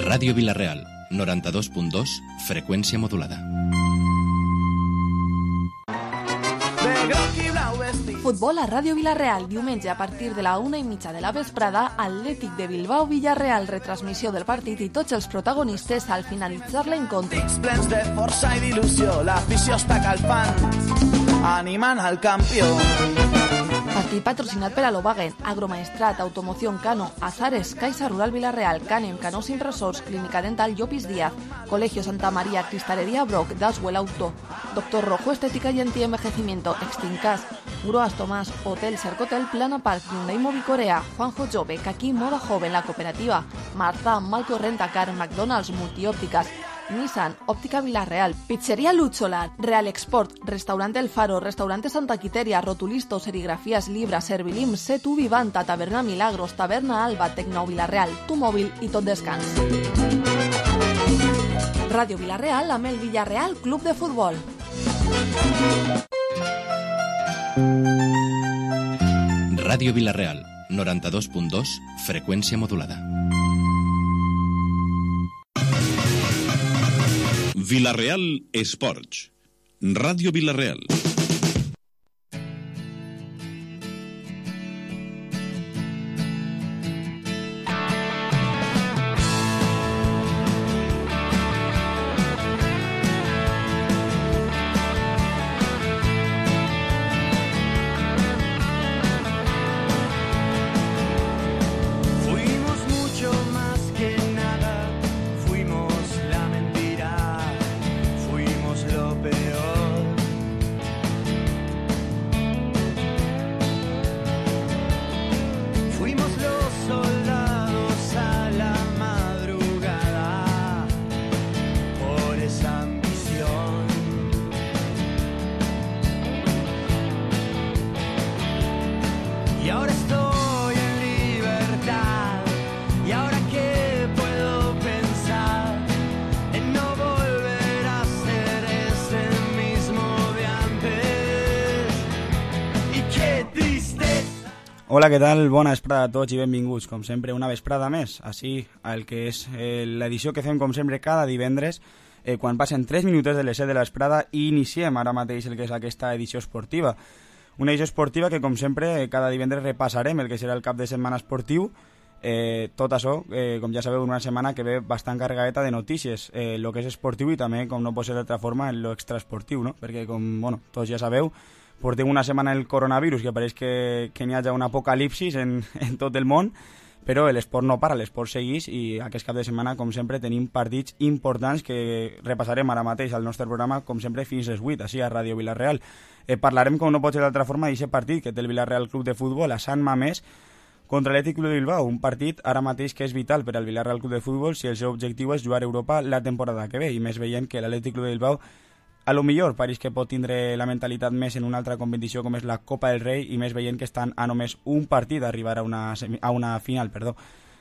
Ràdio Vila-real, 92.2, freqüència modulada. Futbol a Ràdio Vila-real, diumenge a partir de la 1:30 de la vesprada, Atlètic de Bilbao-Villarreal, retransmissió del partit i tots els protagonistes al finalitzar l'encontre. Plens de força i d'il·lusió, l'afició està calfant, animant al campió. Partit patrocinat per Alobagen, Agromaestrat, Automoción Cano, Azares, Caixa Rural Vila-real, Canem, Canós Impressors, Clínica Dental Llopis Díaz, Colegio Santa María, Cristalería Brock, Daswell Auto, Doctor Rojo, Estética y Antienvejecimiento, Extincas, Gruas Tomás, Hotel Cercotel, Plana Park, Hyundai Movicorea, Juanjo Jove, Kaki Moda Joven, La Cooperativa, Marta, Malco Rentacar, McDonald's, Multiópticas, Nissan, Óptica Vila-real, Pizzería Luchola, Real Export, Restaurante El Faro, Restaurante Santa Quiteria, Rotulisto, Serigrafías Libra, Servilim, Setu Vivanta, Taberna Milagros, Taberna Alba, Tecno Vila-real, Tu Móvil i Tot Descans. Ràdio Vila-real amb el Villarreal Club de Futbol. Ràdio Vila-real, 92.2, freqüència modulada. Vila-real Esports. Ràdio Vila-real. Hola, què tal? Bona vesprada a tots i benvinguts, com sempre, una vesprada més, així, al que és l'edició que fem, com sempre, cada divendres, quan passen 3 minutets de les 7 de la vesprada i iniciem ara mateix el que és aquesta edició esportiva. Una edició esportiva que, com sempre, cada divendres repassarem el que serà el cap de setmana esportiu, tot això, com ja sabeu, una setmana que ve bastant carregadeta de notícies, el que és esportiu i també, com no pot ser d'altra forma, en lo extraesportiu, no? Perquè, com tots ja sabeu, portem una setmana el coronavirus, que pareix que n'hi hagi un apocalipsis en tot el món, però l'esport no para, l'esport segueix i aquest cap de setmana, com sempre, tenim partits importants que repassarem ara mateix al nostre programa, com sempre, fins les 8, així a Ràdio Vila-real. Parlarem, com no pot ser d'altra forma, d'aquest partit que té el Vila-real Club de Futbol a Sant Mamés contra l'Atlètic Club de Bilbao, un partit ara mateix que és vital per al Vila-real Club de Futbol si el seu objectiu és jugar a Europa la temporada que ve, i més veient que l'Atlètic Club de Bilbao a lo millor pareix que pot tindre la mentalitat més en una altra competició com és la Copa del Rei i més veient que estan a només un partit d'arribar a una final.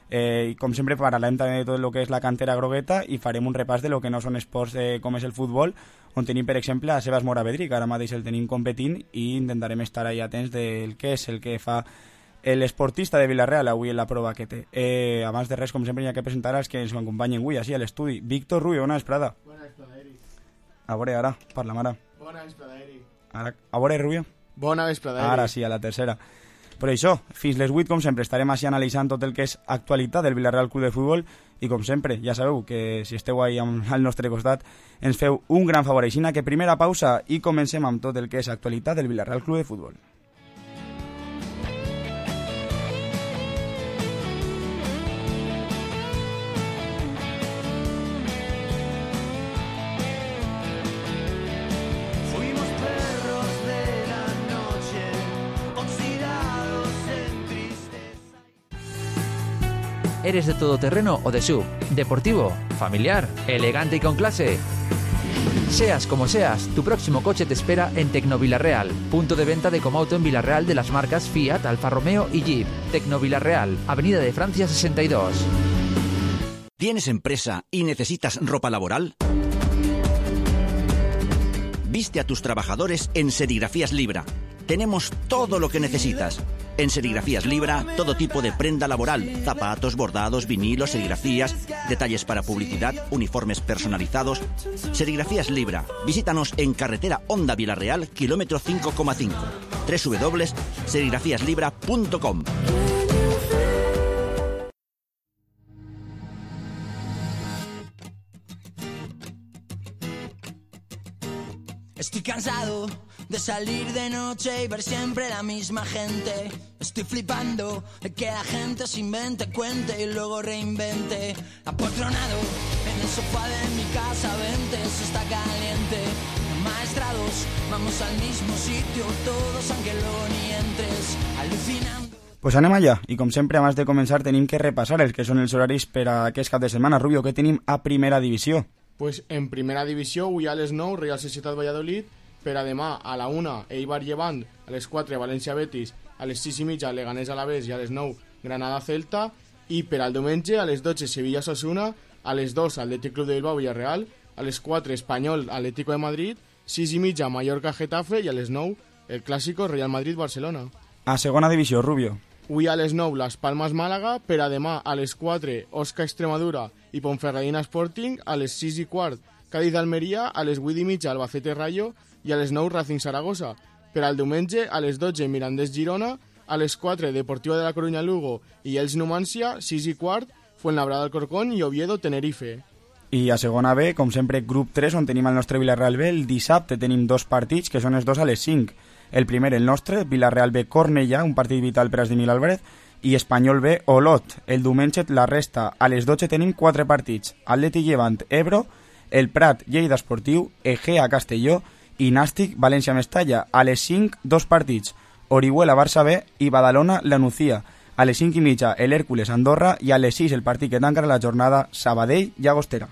I com sempre parlarem també de tot el que és la cantera grogueta i farem un repàs de lo que no són esports com és el futbol, on tenim per exemple a Sebas Moravedri, que ara mateix el tenim competint i intentarem estar ahí atents del que és el que fa l'esportista de Vila-real avui en la prova que té. Abans de res, com sempre, hi ha que presentar els que ens acompanyen avui així a l'estudi. Víctor Rubio, bona vesprada. Bona vesprada, Eric. A veure, ara, parla, ara. Bona vesprada, Eric. Ara, a veure, Rubio. Bona vesprada, Eric. Ara sí, a la tercera. Però això, fins les 8, com sempre, estarem així analitzant tot el que és actualitat del Vila-real Club de Futbol i, com sempre, ja sabeu que si esteu ahí al nostre costat ens feu un gran favor. Així que primera pausa i comencem amb tot el que és actualitat del Vila-real Club de Futbol. ¿Eres de todoterreno o de SUV? ¿Deportivo? ¿Familiar? ¿Elegante y con clase? Seas como seas, tu próximo coche te espera en Tecno Vila-real, punto de venta de Comauto en Vila-real de las marcas Fiat, Alfa Romeo y Jeep. Tecno Vila-real, Avenida de Francia 62. ¿Tienes empresa y necesitas ropa laboral? Viste a tus trabajadores en Serigrafías Libra. tenemos todo lo que necesitas. En Serigrafías Libra, todo tipo de prenda laboral, zapatos, bordados, vinilos, serigrafías, detalles para publicidad, uniformes personalizados. Serigrafías Libra. Visítanos en carretera Honda Vilarreal, kilómetro 5,5. www.serigrafiaslibra.com. Estoy cansado de salir de noche y ver siempre la misma gente. Estoy flipando de que la gente se invente, cuente y luego reinvente. Apoltronado en el sofá de mi casa, vente, eso está caliente. Maestrados, vamos al mismo sitio todos, aunque luego ni entres, alucinando. Pues anem allà, i com sempre, abans de començar, tenim que repassar els que són els horaris per a aquest cap de setmana. Rubio, què tenim a primera divisió? Pues en primera divisió, avui a les 9, Real Societat Valladolid, per a demà a la 1, Eibar Llevant, a les 4, València Betis, a les 6:30, Leganés Alavés i a les 9, Granada Celta, i per al diumenge a les 12, Sevilla Osasuna, a les 2, Atlètic Club de Bilbao Villarreal, a les 4, Espanyol Atlético de Madrid, 6:30, Mallorca Getafe i a les 9, el clàssico Real Madrid Barcelona. A segona divisió, Rubio. Avui a les 9, Las Palmas Màlaga, per a demà a les 4, Osca Extremadura i Ponferradina Sporting, a les 6:15, Cádiz Almeria, a les 8:30, Albacete Rayo i a les 9, Racing Saragossa. Per al diumenge, a les 12, Mirandés Girona, a les 4, Deportivo de la Coruña Lugo i Elx Numancia, 6:15, Fuenlabrada Alcorcón i Oviedo Tenerife. I a segona B, com sempre, grup 3, on tenim el nostre Villarreal B. El dissabte tenim dos partits, que són els dos a les 5. El primer, el nostre, Villarreal B Cornellà, un partit vital per a Esdemil Álvarez, i Espanyol B Olot. El diumenge, la resta. A les 12 tenim 4 partits. Atlètic Llevant Ebro, el Prat Lleida Esportiu, Egea Castelló i Nàstic València Mestalla. A les 5, 2 partits. Orihuela Barça B i Badalona La Nucía. A les 5:30 el Hèrcules Andorra i a les 6 el partit que tancarà la jornada Sabadell Llagostera.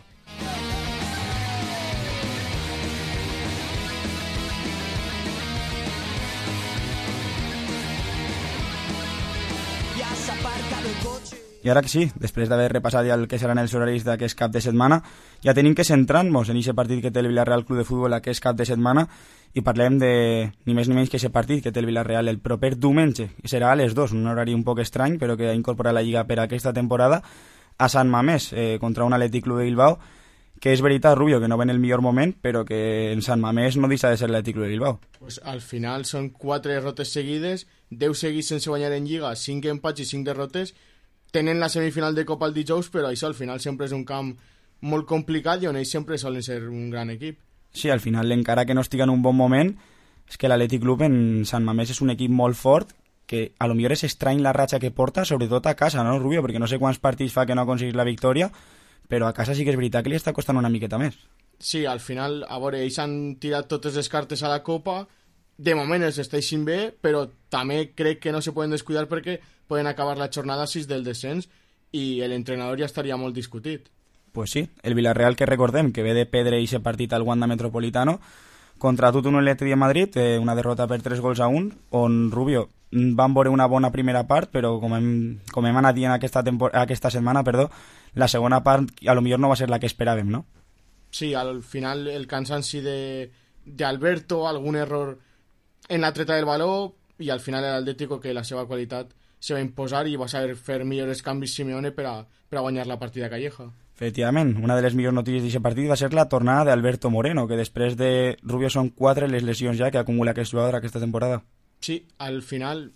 I ara que sí, després d'haver repassat ja el que seran els horaris d'aquest cap de setmana, ja tenim que centrar-nos en aquest partit que té el Villarreal Club de Futbol aquest cap de setmana i parlem de ni més ni menys que aquest partit que té el Villarreal el proper diumenge, que serà a les 2, un horari un poc estrany, però que ha incorporat la Lliga per a aquesta temporada, a Sant Mamés, contra un Atlètic Club de Bilbao, que és veritat, Rubio, que no ve en el millor moment, però que en Sant Mamés no deixa de ser l'Atlètic Club de Bilbao. Pues al final són 4 derrotes seguides, 10 seguits sense guanyar en Lliga, 5 empats i 5 derrotes. Tenen la semifinal de Copa el dijous, però això al final sempre és un camp molt complicat i on ells sempre solen ser un gran equip. Sí, al final, encara que no estigui en un bon moment, és que l'Atlètic Club en Sant Mamés és un equip molt fort, que a lo millor és estrany la ratxa que porta, sobretot a casa, no, Rubio? Perquè no sé quants partits fa que no ha aconseguit la victòria, però a casa sí que és veritat que li està costant una miqueta més. Sí, al final, a veure, ells han tirat totes les cartes a la Copa, de moment els esteixin bé, però també crec que no se poden descuidar perquè poden acabar la jornada 6 del descens i l'entrenador ja estaria molt discutit. Pues sí, el Villarreal, que recordem que ve de perdre aquest partit al Wanda Metropolitano contra Tutuno Atlètic de Madrid, una derrota per 3-1, on, Rubio, van veure una bona primera part, però com hem anat dient aquesta setmana, la segona part a lo millor no va ser la que esperàvem, no? Sí, al final el cansanci de Alberto, algun error en la treta del baló, i al final l'Atlético, que la seva qualitat se va imposar i va saber fer millors canvis Simeone per a guanyar la partida Calleja. Efectivament, una de les millors notícies d'aquest partit va ser la tornada d'Alberto Moreno, que després de Rubio són 4 les lesions ja que acumula aquest jugador aquesta temporada. Sí, al final,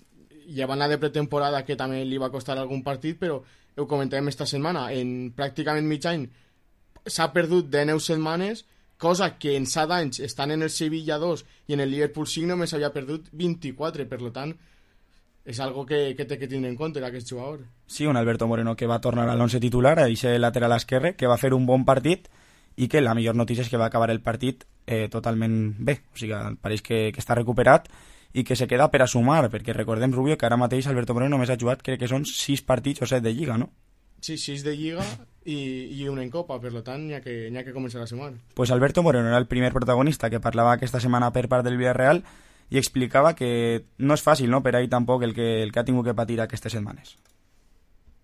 llevant la de pretemporada, que també li va costar algun partit, però ho comentàvem esta setmana, en pràcticament mig any s'ha perdut de 9 setmanes, cosa que en 7 anys, estan en el Sevilla 2 i en el Liverpool 5, només havia perdut 24, per tant, és algo que té que tindre en compte aquest jugador. Sí, un Alberto Moreno que va tornar a l'11 titular, a aquest lateral esquerre, que va fer un bon partit i que la millor notícia és que va acabar el partit totalment bé. O sigui, pareix que està recuperat i que se queda per a sumar, perquè recordem, Rubio, que ara mateix Alberto Moreno només ha jugat, crec que són 6 partits o 7 de Lliga, no? Sí, 6 de Lliga i un en Copa, per tant, n'hi ha que començar a sumar. Pues Alberto Moreno era el primer protagonista que parlava aquesta setmana per part del Villarreal i explicava que no és fàcil, ¿no?, per ahí tampoc el que ha tingut que patir aquestes setmanes.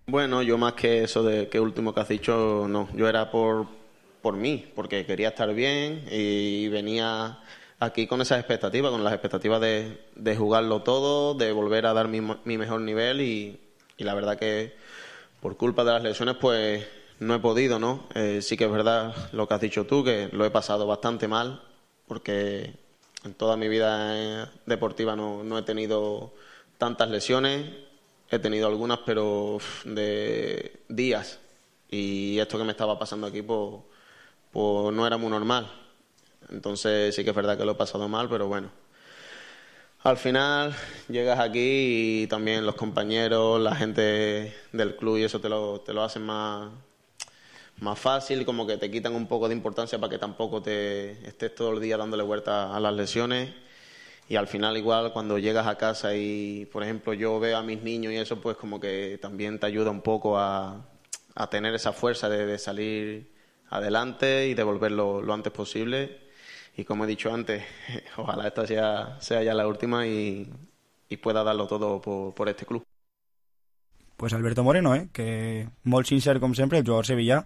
Bueno, yo más que eso de que último que has dicho, no. Yo era por mí, porque quería estar bien y venía aquí con esas expectativas, con las expectativas de jugarlo todo, de volver a dar mi mejor nivel y la verdad que por culpa de las lesiones pues no he podido, ¿no? Sí que es verdad lo que has dicho tú, que lo he pasado bastante mal porque en toda mi vida deportiva no he tenido tantas lesiones, he tenido algunas pero de días y esto que me estaba pasando aquí pues no era muy normal. Entonces sí que es verdad que lo he pasado mal, pero bueno. Al final llegas aquí y también los compañeros, la gente del club y eso te lo hacen más fácil, como que te quitan un poco de importancia para que tampoco te estés todo el día dándole vuelta a las lesiones. Y al final igual cuando llegas a casa y, por ejemplo, yo veo a mis niños y eso, pues como que también te ayuda un poco a tener esa fuerza de salir adelante y de volver lo antes posible. Y como he dicho antes, ojalá esta sea ya la última y pueda darlo todo por este club. Pues Alberto Moreno, que molt sincer com sempre, el jugador sevillà,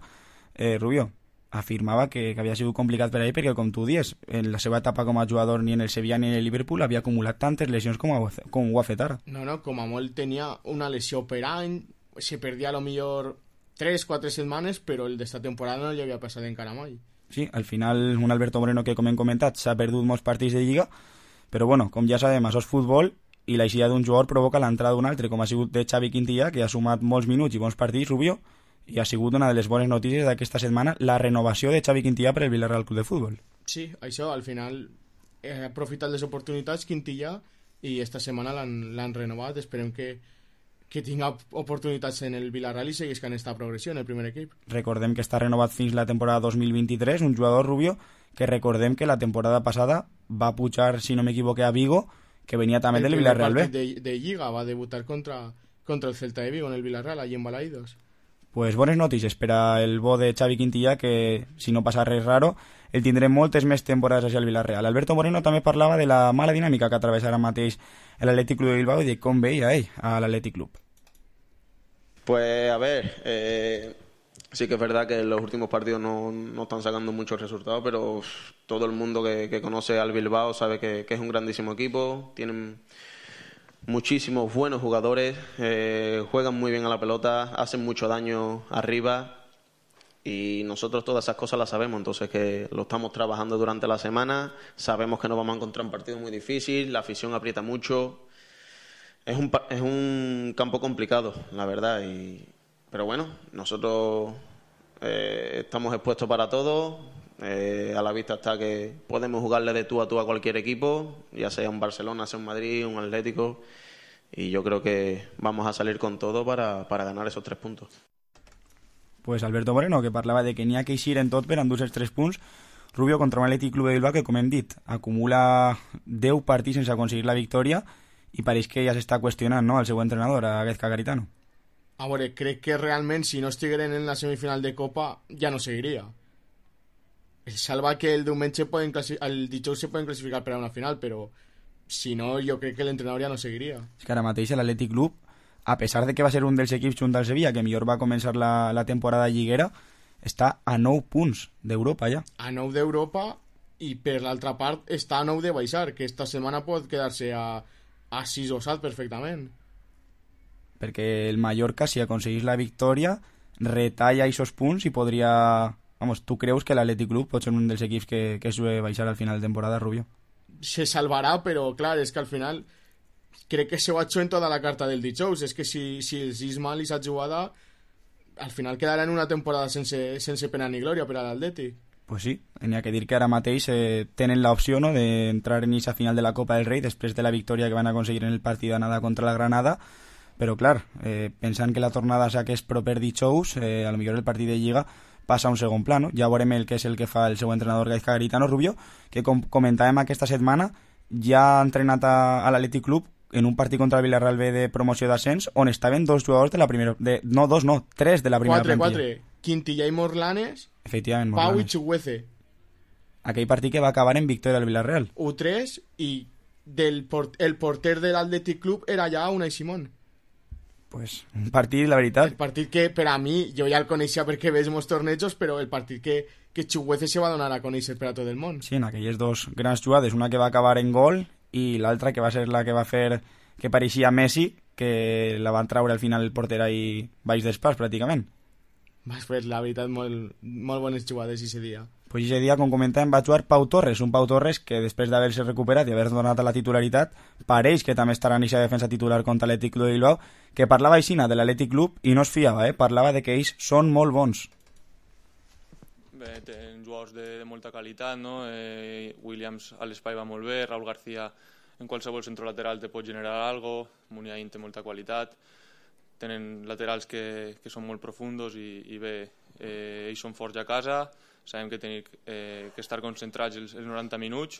Rubio, afirmava que havia sigut complicat per a ell perquè, com tu dius, en la seva etapa com a jugador ni en el Sevilla ni en el Liverpool havia acumulat tantes lesions com ho ha fet ara. No, com a molt tenia una lesió per any, se perdia a lo millor 3-4 setmanes, però el d'esta temporada no li havia passat encara mai. Sí, al final un Alberto Moreno que, com hem comentat, s'ha perdut molts partits de Lliga, però bueno, com ja sabem, això és futbol i l'eixida d'un jugador provoca l'entrada d'un altre, com ha sigut de Xavi Quintilla, que ha sumat molts minuts i bons partits, Rubio, i ha sigut una de les bones notícies d'aquesta setmana, la renovació de Xavi Quintilla per el Villarreal Club de Futbol. Sí, això, al final ha aprofitat les oportunitats Quintilla i esta setmana l'han renovat, esperem que tinga oportunitats en el Villarreal i segueix en esta progressió en el primer equip. Recordem que està renovat fins la temporada 2023, un jugador, Rubio, que recordem que la temporada passada va pujar, si no m'equivoque, a Vigo, que venia també del Villarreal B. De Lliga va debutar contra el Celta de Vigo en el Villarreal, allí en Balaídos. Pues bones notícies per al bo de Xavi Quintilla, que si no passa res raro el tindrem moltes més temporades així al Villarreal. Alberto Moreno també parlava de la mala dinàmica que atravessa ara mateix l'Atlètic Club de Bilbao i de com veia ell a l'Atlètic Club. Pues a ver, sí que es verdad que los últimos partidos no están sacando muchos resultados, pero todo el mundo que conoce al Bilbao sabe que es un grandísimo equipo, tienen muchísimos buenos jugadores, juegan muy bien a la pelota, hacen mucho daño arriba y nosotros todas esas cosas las sabemos, entonces que lo estamos trabajando durante la semana, sabemos que nos vamos a encontrar un partido muy difícil, la afición aprieta mucho, es un campo complicado, la verdad, pero bueno, nosotros estamos expuestos para todo, a la vista está que podemos jugarle de tú a cualquier equipo, ya sea un Barcelona, sea un Madrid, un Atlético, y yo creo que vamos a salir con todo para ganar esos 3 puntos. Pues Alberto Moreno, que parlava de que n'hi ha que eixir en tot per endur els 3 punts. Rubio contra un Atlètic Club de Bilbao que, com hem dit, acumula 10 partits sense aconseguir la victòria i pareix que ja s'està qüestionant, no?, el seu entrenador, a Gaizka Garitano. A veure, crec que realment si no estigueren en la semifinal de Copa ja no seguiria. El salva que el diumenge el dijous se poden classificar per a una final, però si no, jo crec que l'entrenador ja no seguiria. És que ara mateix l'Atlètic Club, a pesar de que va ser un dels equips junt al Sevilla que millor va començar la temporada lliguera, està a 9 punts d'Europa ja. A 9 d'Europa i per l'altra part està a 9 de baixar, que esta setmana pot quedar-se a 6 o 7 perfectament. Perquè el Mallorca, si aconseguís la victòria, retalla aquests punts i podria... Vamos, tu creus que l'Atlètic Club pot ser un dels equips que es sube baixar al final de temporada, Rubio? Se salvarà, però clar, és que al final crec que se ho ha hecho en tota la carta del dijous. És que si els és mal i s'ha jugada, al final quedarà en una temporada sense pena ni glòria per a l'Atlètic. Pues sí, n'hi ha que dir que ara mateix tenen l'opció, no?, d'entrar en aquesta final de la Copa del Rei després de la victòria que van aconseguir en el partit d'anada contra la Granada, però clar, pensant que la tornada s'hagués proper dijous, a lo millor el partit de Lliga passa a un segon pla, no? Ja veurem el que és el que fa el seu entrenador Gaizka Garitano, Rubio, que com comentàvem aquesta setmana ja ha entrenat a l'Atlètic Club en un partit contra el Villarreal B de promoció d'ascens on estaven 2 jugadors de la primera... No, 2 no, 3 de la primera plantilla. 4, Quintilla i Morlanes, efectivament, Pau i Chuguece. Aquell partit que va acabar en victòria al Villarreal. U3 i el porter de l'Atlètic Club era ja Unai Simón. Pues un partit, la veritat. El partit que, per a mi, jo ja el coneixia perquè veig molts tornejos, però el partit que Chuguece se va donar a conèixer per a tot el món. Sí, en aquelles dos grans jugades, una que va acabar en gol i l'altra que va ser la que va fer que pareixia Messi, que la van traure al final el porter ahí baix d'espàs, pràcticament. Vas fer, la veritat, molt bones jugades ese dia. Pues ese dia, com comentàvem, va jugar Pau Torres, un Pau Torres que després d'haver-se recuperat i haver donat a la titularitat, pareix que també estarà en aquesta defensa titular contra l'Atlètic Club de Bilbao, que parlava aixina de l'Atlètic Club i no es fiava, parlava de que ells són molt bons. Bé, tenen jugadors de molta qualitat, no? Williams a l'espai va molt bé, Raúl García en qualsevol centrolateral te pot generar algo, Muniain té molta qualitat, tenen laterals que són molt profundos i bé, ells són forts a casa, sabem que tenim que estar concentrats els 90 minuts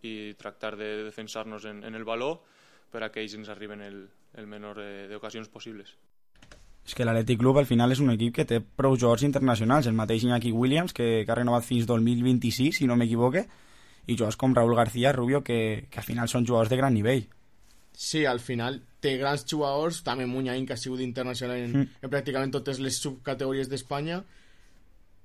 i tractar de defensar-nos en el valor per a que ells ens arriben el menor d'ocasions possibles. És que l'Atlètic Club al final és un equip que té prou jugadors internacionals, el mateix Iñaki Williams, que ha renovat fins 2026, si no m'equivoque, i jugadors com Raúl García, Rubio, que al final són jugadors de gran nivell. Sí, al final té grans jugadors, també Muniain, que ha sigut internacional en pràcticament totes les subcategories d'Espanya,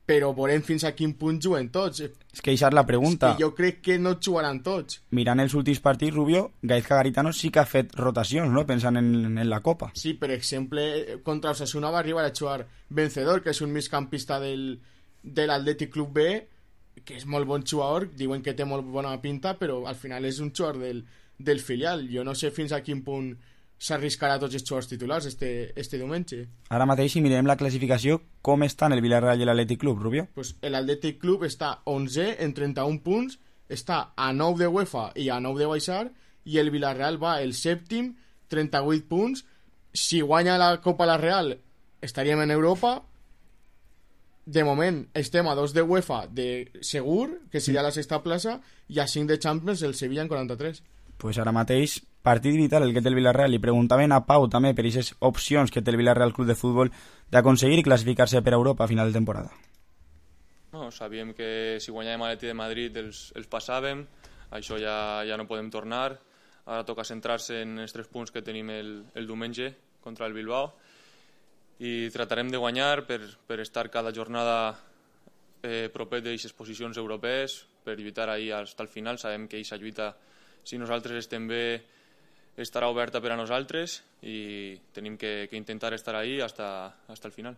però veurem fins a quin punt juguen tots. És que això és la pregunta. És que jo crec que no jugaran tots. Mirant els últims partits, Rubio, Gaizka Garitano sí que ha fet rotacions, no? Pensant en la Copa. Sí, per exemple, contra Osasuna va arribar a jugar Vencedor, que és un migcampista de l'Atlètic Club B, que és molt bon jugador, diuen que té molt bona pinta, però al final és un jugador del filial. Jo no sé fins a quin punt s'arriscarà tots els jugadors titulars este diumenge. Ara mateix, si mirem la classificació, com estan el Villarreal i l'Atlètic Club, Rubio? Pues l'Atlètic Club està 11 en 31 punts, està a 9 de UEFA i a 9 de baixar, i el Villarreal va el sèptim, 38 punts. Si guanya la Copa la Real, estaríem en Europa. De moment estem a 2 de UEFA de segur, que seria la sexta plaça, i a 5 de Champions, el Sevilla en 43. Pues ara mateix, partit vital el que té el Villarreal. Li preguntaven a Pau també per aquestes opcions que té el Villarreal Club de Futbol d'aconseguir classificar-se per a Europa a final de temporada. No, sabíem que si guanyàvem a l'Atlètic de Madrid els passàvem, això ja no podem tornar. Ara toca centrar-se en els 3 punts que tenim el diumenge contra el Bilbao i tratarem de guanyar per estar cada jornada propet d'aquestes posicions europees, per lluitar ahir fins al final. Sabem que aquesta lluita, si nosaltres estem bé, estarà oberta per a nosaltres i tenim que intentar estar ahí hasta el final.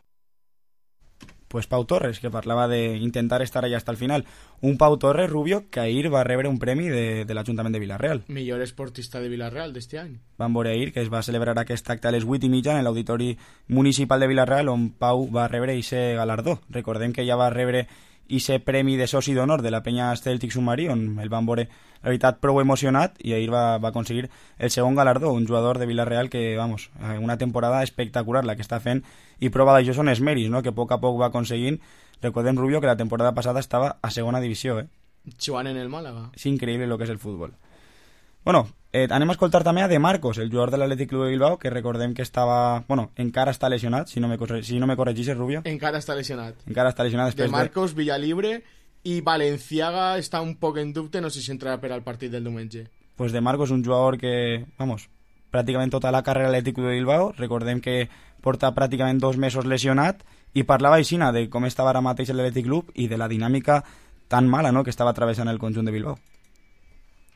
Pues Pau Torres, que parlava d'intentar estar allà hasta el final. Un Pau Torres, Rubio, que ahir va rebre un premi de l'Ajuntament de Villarreal. Millor esportista de Villarreal d'este any. Vam veure ahir que es va celebrar aquest acte a les 8:30 en l'Auditori Municipal de Villarreal, on Pau va rebre aquest galardó. Recordem que ja va rebre aquest premi de soci d'honor de la penya Celtic Submarí, on el van veure, la veritat, prou emocionat, i ahir va aconseguir el segon galardó, un jugador de Villarreal que, vamos, una temporada espectacular la que està fent, i prova d'això són els mèrits, no?, que a poc va aconseguint. Recordem, Rubio, que la temporada passada estava a segona divisió, Jugant en el Málaga. És increïble el que és el futbol. Bueno, anem a escoltar també a De Marcos, el jugador de l'Atlètic Club de Bilbao, que recordem que estava... Bueno, encara està lesionat, si no me corregixes, Rubio. Encara està lesionat. Després De Marcos, Villalibre, i Valenciaga està un poc en dubte, no sé si entrarà per al partit del diumenge. Pues De Marcos, un jugador que, vamos, pràcticament tota la carrera a l'Atlètic Club de Bilbao. Recordem que porta pràcticament 2 mesos lesionat, i parlava aixina de com estava ara mateix l'Atlètic Club i de la dinàmica tan mala, ¿no?, que estaba atravesando el conjunto de Bilbao.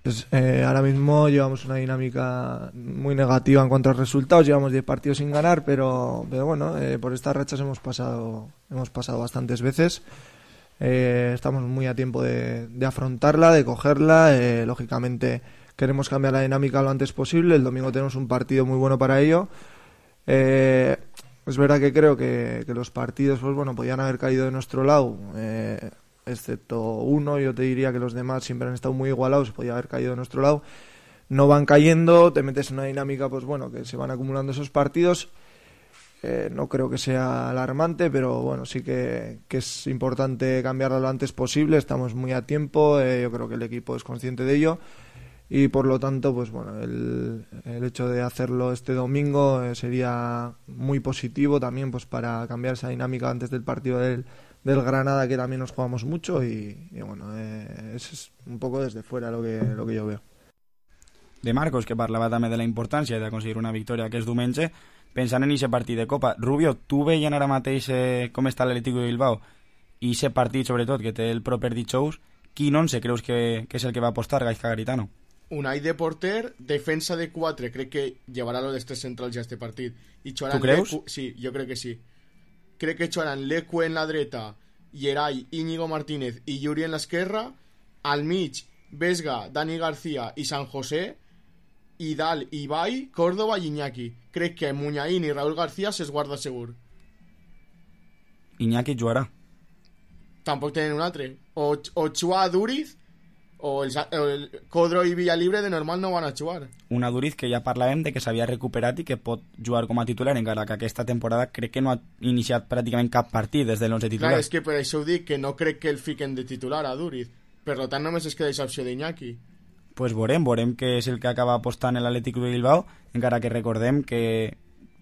Pues, ahora mismo llevamos una dinámica muy negativa en cuanto a resultados. Llevamos 10 partidos sin ganar, pero bueno, por estas rachas hemos pasado bastantes veces. Estamos muy a tiempo de afrontarla, de cogerla. Lógicamente queremos cambiar la dinámica lo antes posible. El domingo tenemos un partido muy bueno para ello. Es verdad que creo que los partidos, pues bueno, podían haber caído de nuestro lado, excepto uno. Yo te diría que los demás siempre han estado muy igualados, podía haber caído de nuestro lado. No van cayendo, te metes en una dinámica, pues bueno, que se van acumulando esos partidos. No creo que sea alarmante, pero bueno, sí que es importante cambiarlo lo antes posible. Estamos muy a tiempo, yo creo que el equipo es consciente de ello. Y por lo tanto, pues bueno, el hecho de hacerlo este domingo sería muy positivo también, pues para cambiar esa dinámica antes del partido del Granada, que también nos jugamos mucho, y bueno, eso es un poco desde fuera lo que yo veo. de Marcos, que parlava també de la importància d'aconseguir una victòria aquest diumenge, pensant en aquest partit de Copa. Rubio, tu veient ara mateix com està l'Atlètic de Bilbao i aquest partit, sobretot, que té el proper dijous, quin 11 creus que és el que va apostar Gaizka Garitano? Unai de porter, defensa de 4, crec que llevarà los de 3 centrals ja este partit. I tu creus? Sí, jo crec que sí. Crec que jugaran Leque en la dreta, Yeray, Íñigo Martínez i Yuri en l'esquerra, al mig Vesga, Dani García i San José, i dalt Ibai, Córdoba i Iñaki. Crec que Muñain i Raúl García se'ls guarda segur. Iñaki jugarà. Tampoc tenen un altre. O jugar a Duriz, o el Codro i Villalibre de normal no van a jugar. Una Duriz que ja parlàvem de que s'havia recuperat i que pot jugar com a titular, encara que aquesta temporada crec que no ha iniciat pràcticament cap partit des de l'11 titular. Clar, és que per això ho dic, que no crec que el fiquen de titular a Duriz. Per tant, només es queda aquesta opció d'Iñaki. Pues veurem què és el que acaba apostant l'Atlètic de Bilbao, encara que recordem que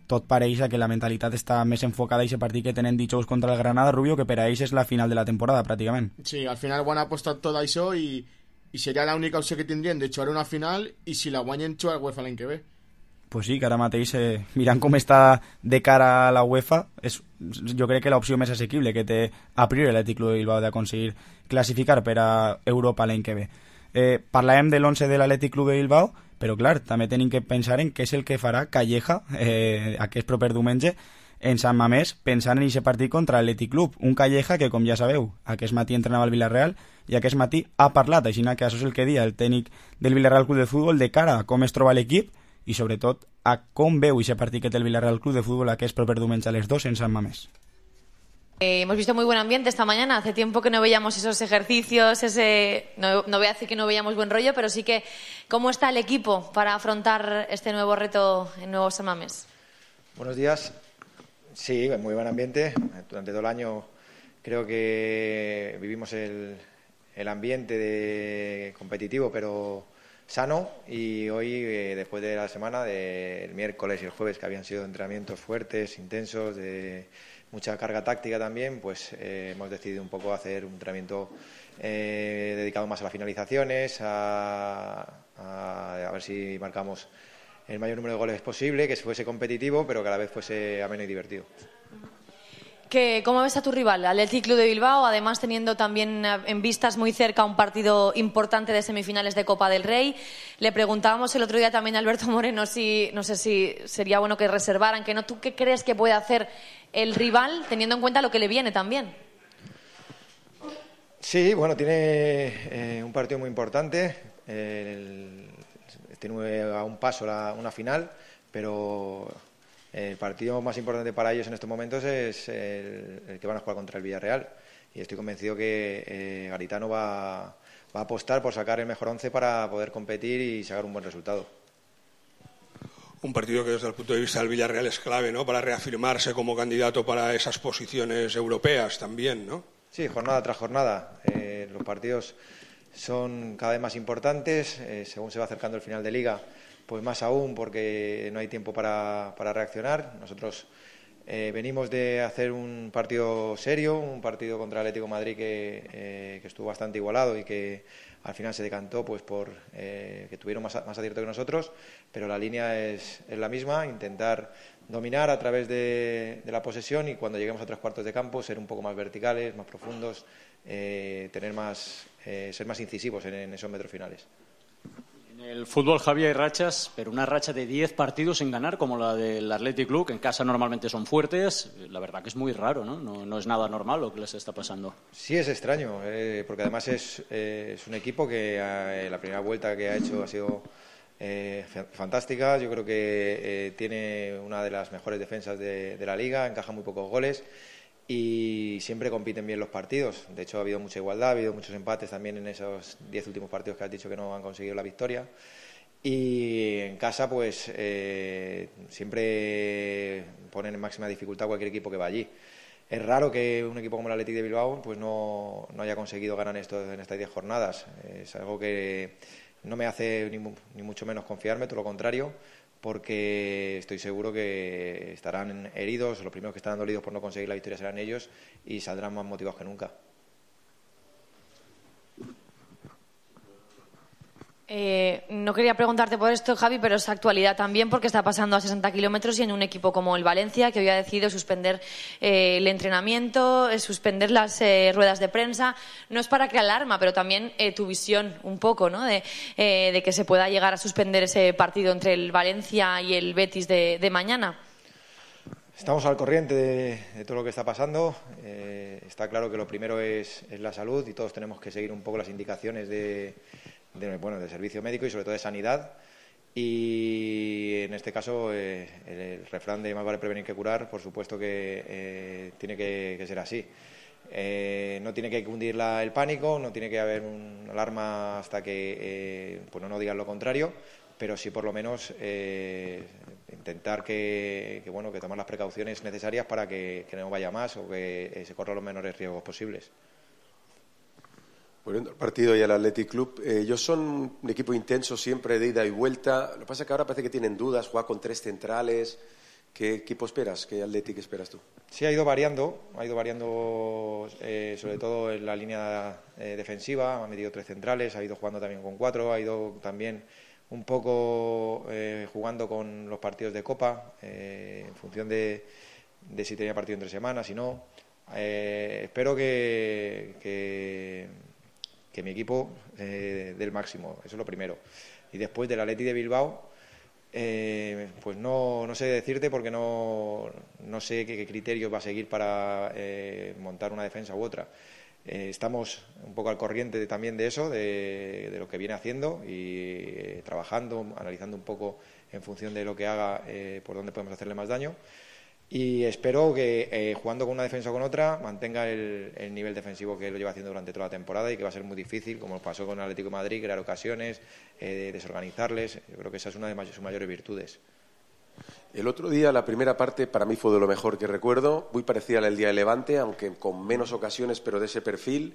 tot pareix que la mentalitat està més enfocada a aquest partit que tenen dijous contra el Granada, Rubio, que per a ells és la final de la temporada, pràcticament. Sí, al final ho han apostat tot això i seria l'única opció que tindrien de jugar una final i si la guanyen jugar a UEFA l'any que ve. Pues sí, que ara mateix, mirant com està de cara a la UEFA, és jo crec que l'opció més assequible que té a priori l'Atlètic de Bilbao d'aconseguir classificar per a Europa l'any que ve. Parlàvem de l'11 de l'Atlètic Club de Bilbao, però clar, també tenim que pensar en què és el que farà Calleja aquest proper diumenge en Sant Mamés, pensant en aquest partit contra l'Atlètic Club. Un Calleja que, com ja sabeu, aquest matí entrenava al Villarreal i aquest matí ha parlat, així que això és el que dia el tècnic del Villarreal Club de Futbol de cara a com es troba l'equip i sobretot a com veu aquest partit que té el Villarreal Club de Futbol aquest proper diumenge a les 2 en Sant Mamés. Hemos visto muy buen ambiente esta mañana. Hace tiempo que no veíamos esos ejercicios, no voy a decir que no veíamos buen rollo, pero sí que ¿cómo está el equipo para afrontar este nuevo reto en Nuevo San Mamés? Buenos días. Sí, muy buen ambiente. Durante todo el año creo que vivimos el ambiente competitivo, pero sano, y hoy, después de la semana, del miércoles y el jueves, que habían sido entrenamientos fuertes, intensos, de mucha carga táctica también, pues hemos decidido un poco hacer un entrenamiento dedicado más a las finalizaciones, a ver si marcamos el mayor número de goles posible, que fuese competitivo, pero que a la vez fuese ameno y divertido. ¿Cómo ves a tu rival, al Athletic Club de Bilbao, además teniendo también en vistas muy cerca un partido importante de semifinales de Copa del Rey? Le preguntábamos el otro día también a Alberto Moreno si, no sé si sería bueno que reservaran, que no. ¿Tú qué crees que puede hacer el rival, teniendo en cuenta lo que le viene también? Sí, bueno, tiene un partido muy importante, tiene a un paso una final, pero el partido más importante para ellos en estos momentos es el que van a jugar contra el Villarreal, y estoy convencido que Garitano va a apostar por sacar el mejor 11 para poder competir y sacar un buen resultado. Un partido que desde el punto de vista del Villarreal es clave, ¿no?, para reafirmarse como candidato para esas posiciones europeas también, ¿no? Sí, jornada tras jornada. Los partidos son cada vez más importantes, según se va acercando el final de Liga, pues más aún, porque no hay tiempo para reaccionar. Nosotros venimos de hacer un partido serio, un partido contra el Atlético de Madrid que estuvo bastante igualado y que al final se decantó pues por que tuvieron más acierto que nosotros, pero la línea es la misma: intentar dominar a través de la posesión, y cuando lleguemos a 3 cuartos de campo ser un poco más verticales, más profundos, ser más incisivos en esos metros finales. En el fútbol, Javier, hay rachas, pero una racha de 10 partidos sin ganar, como la del Athletic Club, que en casa normalmente son fuertes, la verdad que es muy raro, ¿no? No es nada normal lo que les está pasando. Sí, es extraño, porque además es un equipo que la primera vuelta que ha hecho ha sido fantástica. Yo creo que tiene una de las mejores defensas de la Liga, encaja muy pocos goles y siempre compiten bien los partidos. De hecho, ha habido mucha igualdad, ha habido muchos empates también en esos 10 últimos partidos que has dicho que no han conseguido la victoria. Y en casa, pues siempre ponen en máxima dificultad a cualquier equipo que va allí. Es raro que un equipo como el Athletic de Bilbao pues no haya conseguido ganar en estas 10 jornadas. Es algo que no me hace ni mucho menos confiarme, todo lo contrario, porque estoy seguro que estarán heridos, los primeros que estarán dolidos por no conseguir la victoria serán ellos, y saldrán más motivados que nunca. No quería preguntarte por esto, Javi, pero es actualidad también porque está pasando a 60 kilómetros y en un equipo como el Valencia, que hoy ha decidido suspender el entrenamiento, suspender las ruedas de prensa. No es para crear alarma, pero también tu visión un poco, ¿no? De que se pueda llegar a suspender ese partido entre el Valencia y el Betis de mañana. Estamos al corriente de todo lo que está pasando. Está claro que lo primero es la salud y todos tenemos que seguir un poco las indicaciones de servicio médico y sobre todo de sanidad. Y en este caso el refrán de más vale prevenir que curar, por supuesto que tiene que ser así. No tiene que cundir el pánico, no tiene que haber una alarma hasta que no digan lo contrario, pero sí por lo menos intentar que tomar las precauciones necesarias para que no vaya más o que se corran los menores riesgos posibles. Volviendo al partido y al Athletic Club, ellos son un equipo intenso siempre de ida y vuelta. Lo que pasa es que ahora parece que tienen dudas, juega con 3 centrales. ¿Qué equipo esperas? ¿Qué Athletic esperas tú? Sí, ha ido variando sobre todo en la línea defensiva. Ha metido 3 centrales, ha ido jugando también con 4, ha ido también un poco jugando con los partidos de Copa, en función de si tenía partido entre semanas, si no. Espero que mi equipo dé el máximo, eso es lo primero. Y después del Athletic de Bilbao, pues no sé decirte porque no sé qué criterios va a seguir para montar una defensa u otra. Estamos un poco al corriente también de eso, de lo que viene haciendo y trabajando, analizando un poco en función de lo que haga, por dónde podemos hacerle más daño. Y espero que jugando con una defensa o con otra mantenga el nivel defensivo que lo lleva haciendo durante toda la temporada y que va a ser muy difícil, como pasó con el Atlético de Madrid, crear ocasiones, desorganizarles. Yo creo que esa es una de sus mayores virtudes. El otro día, la primera parte, para mí fue de lo mejor que recuerdo, muy parecida a la del día de Levante, aunque con menos ocasiones, pero de ese perfil.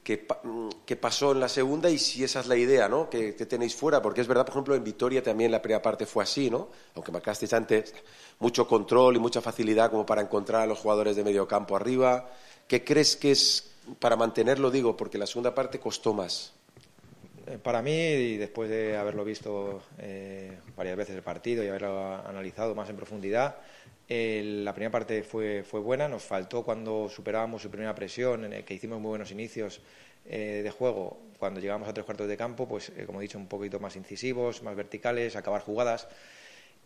¿Qué pasó en la segunda y si esa es la idea, ¿no? que tenéis fuera? Porque es verdad, por ejemplo, en Vitoria también la primera parte fue así, ¿no? Aunque marcasteis antes mucho control y mucha facilidad como para encontrar a los jugadores de medio campo arriba. ¿Qué crees que es para mantenerlo? Digo, porque la segunda parte costó más. Para mí, y después de haberlo visto varias veces el partido y haberlo analizado más en profundidad, la primera parte fue buena. Nos faltó cuando superábamos su primera presión, en el que hicimos muy buenos inicios de juego. Cuando llegamos a 3/4 de campo, pues como he dicho, un poquito más incisivos, más verticales, acabar jugadas.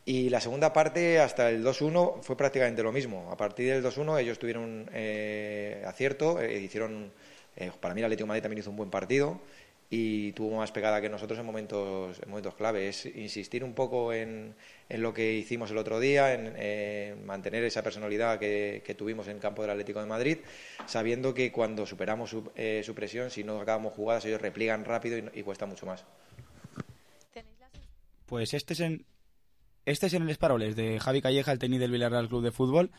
Y la segunda parte, hasta el 2-1, fue prácticamente lo mismo. A partir del 2-1 ellos tuvieron acierto, hicieron, para mí el Atlético de Madrid también hizo un buen partido y tuvo más pegada que nosotros en momentos clave. Es insistir un poco en lo que hicimos el otro día, en mantener esa personalidad que tuvimos en el campo del Atlético de Madrid, sabiendo que cuando superamos su presión, si no acabamos jugadas, ellos repliegan rápido y cuesta mucho más. Pues este es en el Esparoles de Javi Calleja, el técnico del Villarreal Club de Fútbol,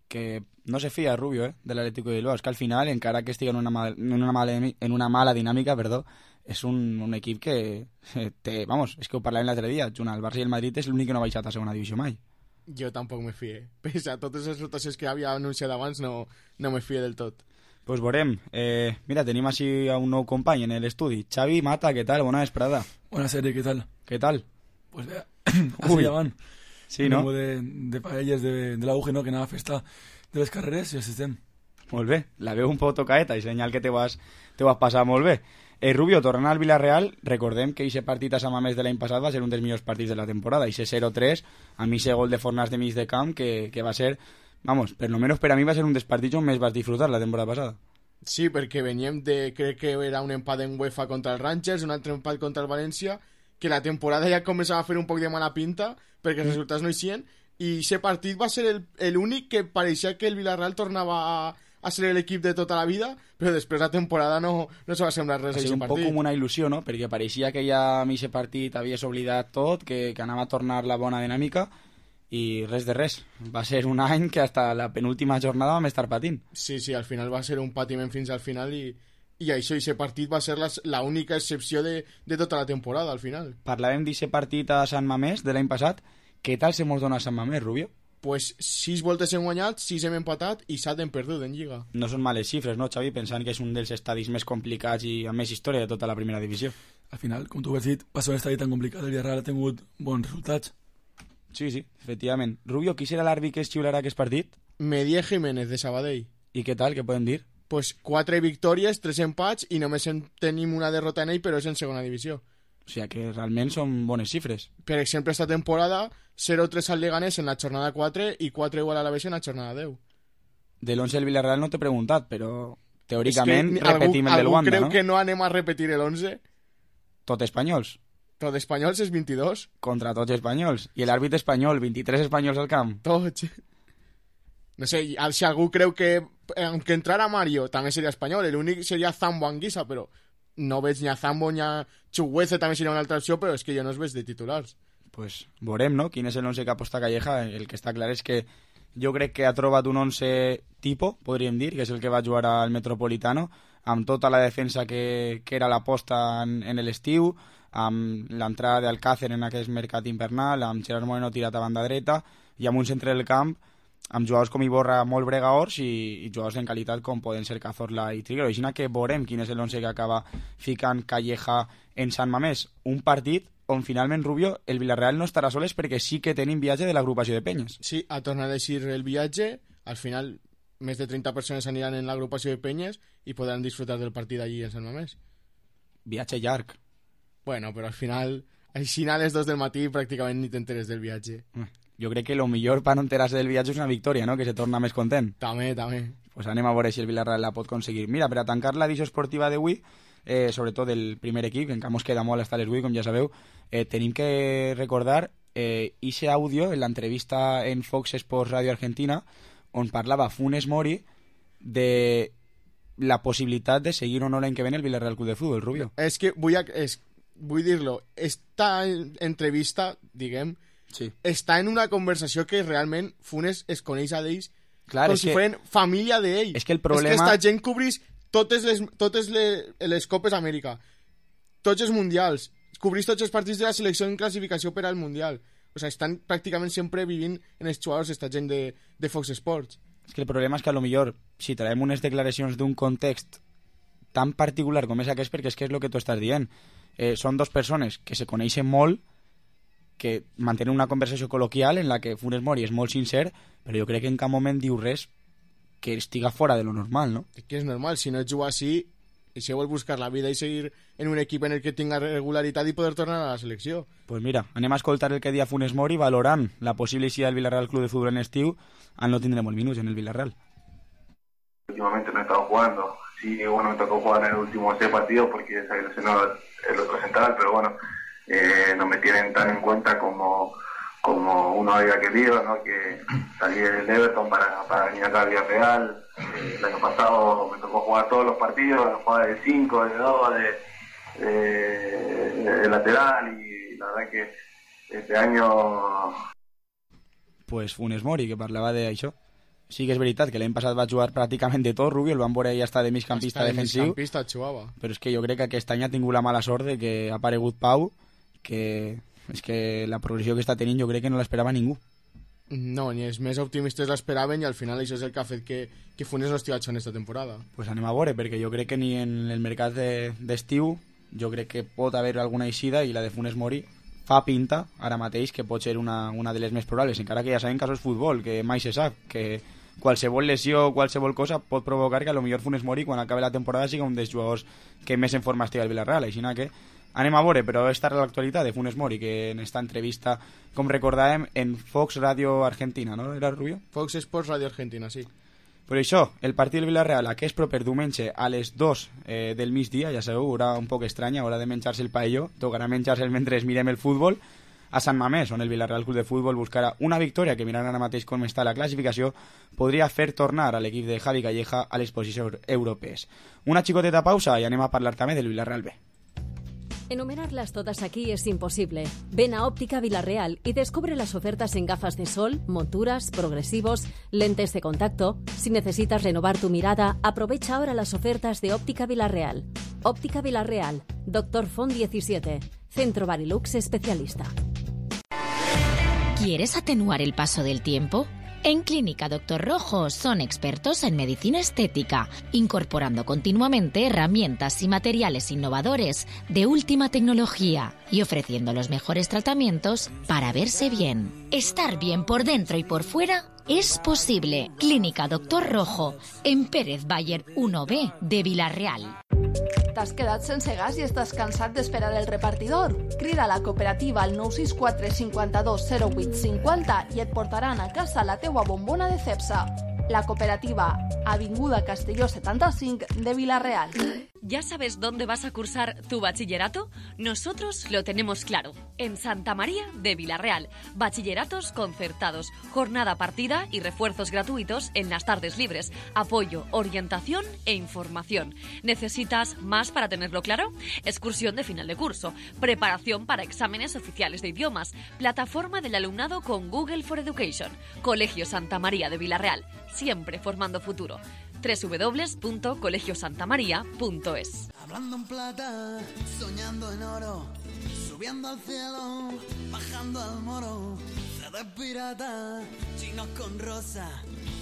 que no se fía, Rubio, del Atlético de Bilbao. Es que al final, encara que esté en una mala dinámica, és un equip que té, vamos, és que ho parlàvem l'altre dia, junt al Barça i el Madrid és l'únic que no ha baixat a segona divisió mai. Jo tampoc me fie. Pese a totes les rotacions que havia anunciat abans, no me fie del tot. Pues veurem. Mira, tenim així a un nou company en l'estudi. Xavi Mata, què tal? Bona vesprada. Buenas tardes, ¿qué tal? ¿Qué tal? Pues vea, así llaman. Sí, no? De paelles de la UG, no? Que nada festa de les carreres i assistem. Molt bé. La veu un poc tocaeta i senyal que te vas passar molt bé. Rubio, tornant al Villarreal, recordem que aquest partit a Sant Mamés de l'any passat va ser un dels millors partits de la temporada. Ese 0-3, a mi ese gol de Fornàs de mig de camp, que va ser, vamos, per lo menos per a mi va ser un dels partits on més vas disfrutar la temporada passada. Sí, perquè veníem crec que era un empat en UEFA contra el Rangers, un altre empat contra el València, que la temporada ja començava a fer un poc de mala pinta, perquè els resultats no eixien, i aquest partit va ser l'únic que pareixia que el Villarreal tornava a ser l'equip de tota la vida, però després la temporada no se va semblar res a aquest partit. Va ser un poc com una il·lusió, no? Perquè pareixia que ja a mi aquest partit havies oblidat tot, que anava a tornar la bona dinàmica, i res de res. Va ser un any que hasta la penúltima jornada vam estar patint. Sí, al final va ser un patiment fins al final i això, aquest partit va ser l'única excepció de tota la temporada, al final. Parlàvem d'aquest partit a Sant Mamés de l'any passat. Què tal se mos dona a Sant Mamés, Rubio? pues 6 voltes hem guanyat, 6 hem empatat i 7 hem perdut en Lliga. No són males xifres, no, Xavi? Pensant que és un dels estadis més complicats i amb més història de tota la primera divisió. Al final, com tu has dit, per ser un estadi tan complicat, el Villarreal ha tingut bons resultats. Sí, efectivament. Rubio, qui serà l'àrbitre que es xiularà aquest partit? Medier Jiménez, de Sabadell. I què tal, què podem dir? Pues 4 victòries, 3 empats i només tenim una derrota en ell, però és en segona divisió. O sigui que realment són bones xifres. Per exemple, esta temporada 0-3 al Leganés en la jornada 4 i 4 igual a la Alavés en la jornada 10. De l'11 del Villarreal no t'he preguntat, però teòricament repetim el del Wanda, no? Algú creu que no anem a repetir el 11? Tot espanyols. Tot espanyols és 22. Contra tots espanyols. I l'àrbitre espanyol, 23 espanyols al camp. Tots. No sé, si algú creu que aunque entrara Mario també seria espanyol, l'únic seria Zambo Anguissa, però no veig ni a Zambo ni a Chuguece, també seria una altra opció, però és que jo no es veig de titulars. Pues veurem, no? Quin és el 11 que aposta Calleja. El que està clar és que jo crec que ha trobat un 11 tipo, podríem dir, que és el que va jugar al Metropolitano, amb tota la defensa que era l'aposta en l'estiu, amb l'entrada d'Alcácer en aquest mercat invernal, amb Gerard Moreno tirat a banda dreta, i amb un centre del camp amb jugadors com Iborra molt bregaors i jugadors en qualitat com poden ser Cazorla i Triguero. Així que veurem quin és l'11 que acaba ficant Calleja en Sant Mamés. Un partit on finalment, Rubio, el Villarreal no estarà soles perquè sí que tenim viatge de l'agrupació de penyes. Sí, ha tornat a eixir el viatge. Al final, més de 30 persones aniran en l'agrupació de penyes i podran disfrutar del partit allí en Sant Mamés. Viatge llarg. Bueno, però al final, així a les 2 del matí pràcticament ni t'enteres del viatge. Jo crec que el millor per no enterar-se del viatge és una victòria, no? Que se torna més content. També. Pues anem a veure si el Villarreal la pot aconseguir. Mira, per a tancar l'edició esportiva d'avui, sobretot del primer equip, que encara mos queda molt hasta les 8, com ja sabeu, tenim que recordar ese àudio en l'entrevista en Fox Sports Radio Argentina, on parlava Funes Mori de la possibilitat de seguir o no l'any que ve el Villarreal Club de Fútbol, Rubio. És que vull dir-lo, esta entrevista, diguem, sí, està en una conversació que realment Funes es coneix a d'ells com si foren família d'ell. És que el problema... És que esta gent cobrís totes les Copes Amèrica, tots els Mundials, cobrís tots els partits de la selecció en classificació per al Mundial. O sigui, estan pràcticament sempre vivint en els jugadors esta gent de Fox Sports. És que el problema és que a lo millor si traiem unes declaracions d'un context tan particular com és aquest, perquè és que és el que tu estàs dient. Són dos persones que se coneixen molt, que mantenen una conversació col·loquial en la que Funes Mori és molt sincer, però jo crec que en cap moment diu res que estiga fora de lo normal, no? Que és normal, si no et juga així, i si vol buscar la vida i seguir en un equip en el que tinga regularitat i poder tornar a la selecció. Pues mira, anem a escoltar el que dia Funes Mori valorant la possible eixida del Villarreal Club de Fútbol en estiu, al no tindremos minutos en el Villarreal. Últimamente no he estado jugando, sí, bueno, me tocó jugar en el último 6 partidos porque se lesionó el otro central, pero bueno, no me tienen tan en cuenta como uno había querido, ¿no? Que salí del Everton para venir acá a Villarreal. El año pasado me tocó jugar todos los partidos, jugar de 5, de 2, de lateral, y la verdad que este año... Pues Funes Mori, que parlava d'això. Sí que és veritat que l'any passat va jugar pràcticament de tot, Rubio, el van veure ja està de migcampista defensiu, però és que jo crec que aquest any ha tingut la mala sort de que ha aparegut Pau, que és que la progressió que està tenint jo crec que no l'esperava ningú. No, ni els més optimistes l'esperaven i al final això és el que ha fet que Funes no estigui en esta temporada. Pues anem a veure, perquè jo crec que ni en el mercat d'estiu jo crec que pot haver alguna eixida i la de Funes Mori fa pinta ara mateix que pot ser una de les més probables, encara que ja sabem que això és futbol, que mai se sap, que qualsevol lesió o qualsevol cosa pot provocar que a lo millor Funes Mori quan acabi la temporada sigui un dels jugadors que més en forma estigui al Villarreal, així que anem a veure, però esta és l'actualitat de Funes Mori, que en esta entrevista, com recordàvem, en Fox Radio Argentina, no? Era Rubio? Fox Sports Radio Argentina, sí. Per això, el partit del Villarreal, aquest proper diumenge a les 2 del migdia, ja sabeu, haurà un poc estranya, haurà de menjar-se el paelló, tocarà menjar-se mentre mirem el futbol, a Sant Mamés, on el Villarreal Club de Futbol buscarà una victòria que, mirant ara mateix com està la classificació, podria fer tornar a l'equip de Javi Calleja a les posicions europees. Una xicoteta pausa i anem a parlar també del Villarreal B. Enumerarlas todas aquí es imposible. Ven a Óptica Villarreal y descubre las ofertas en gafas de sol, monturas, progresivos, lentes de contacto. Si necesitas renovar tu mirada, aprovecha ahora las ofertas de Óptica Villarreal. Óptica Villarreal, Dr. Font 17, Centro Barilux especialista. ¿Quieres atenuar el paso del tiempo? En Clínica Dr. Rojo son expertos en medicina estética, incorporando continuamente herramientas y materiales innovadores de última tecnología y ofreciendo los mejores tratamientos para verse bien. Estar bien por dentro y por fuera es posible. Clínica Dr. Rojo, en Pérez Bayer 1B de Vila-real. T'has quedat sense gas i estàs cansat d'esperar el repartidor? Crida a la cooperativa al 964 52 08 50 i et portaran a casa la teua bombona de Cepsa. La cooperativa, Avinguda Castelló 75 de Vila-real. ¿Ya sabes dónde vas a cursar tu bachillerato? Nosotros lo tenemos claro. En Santa María de Vila-real. Bachilleratos concertados, jornada partida y refuerzos gratuitos en las tardes libres. Apoyo, orientación e información. ¿Necesitas más para tenerlo claro? Excursión de final de curso, preparación para exámenes oficiales de idiomas, plataforma del alumnado con Google for Education. Colegio Santa María de Vila-real. Siempre formando futuro. www.colegiosantamaria.es. Hablando en plata, soñando en oro, subiendo al cielo, bajando al moro, de pirata, chinos con rosa,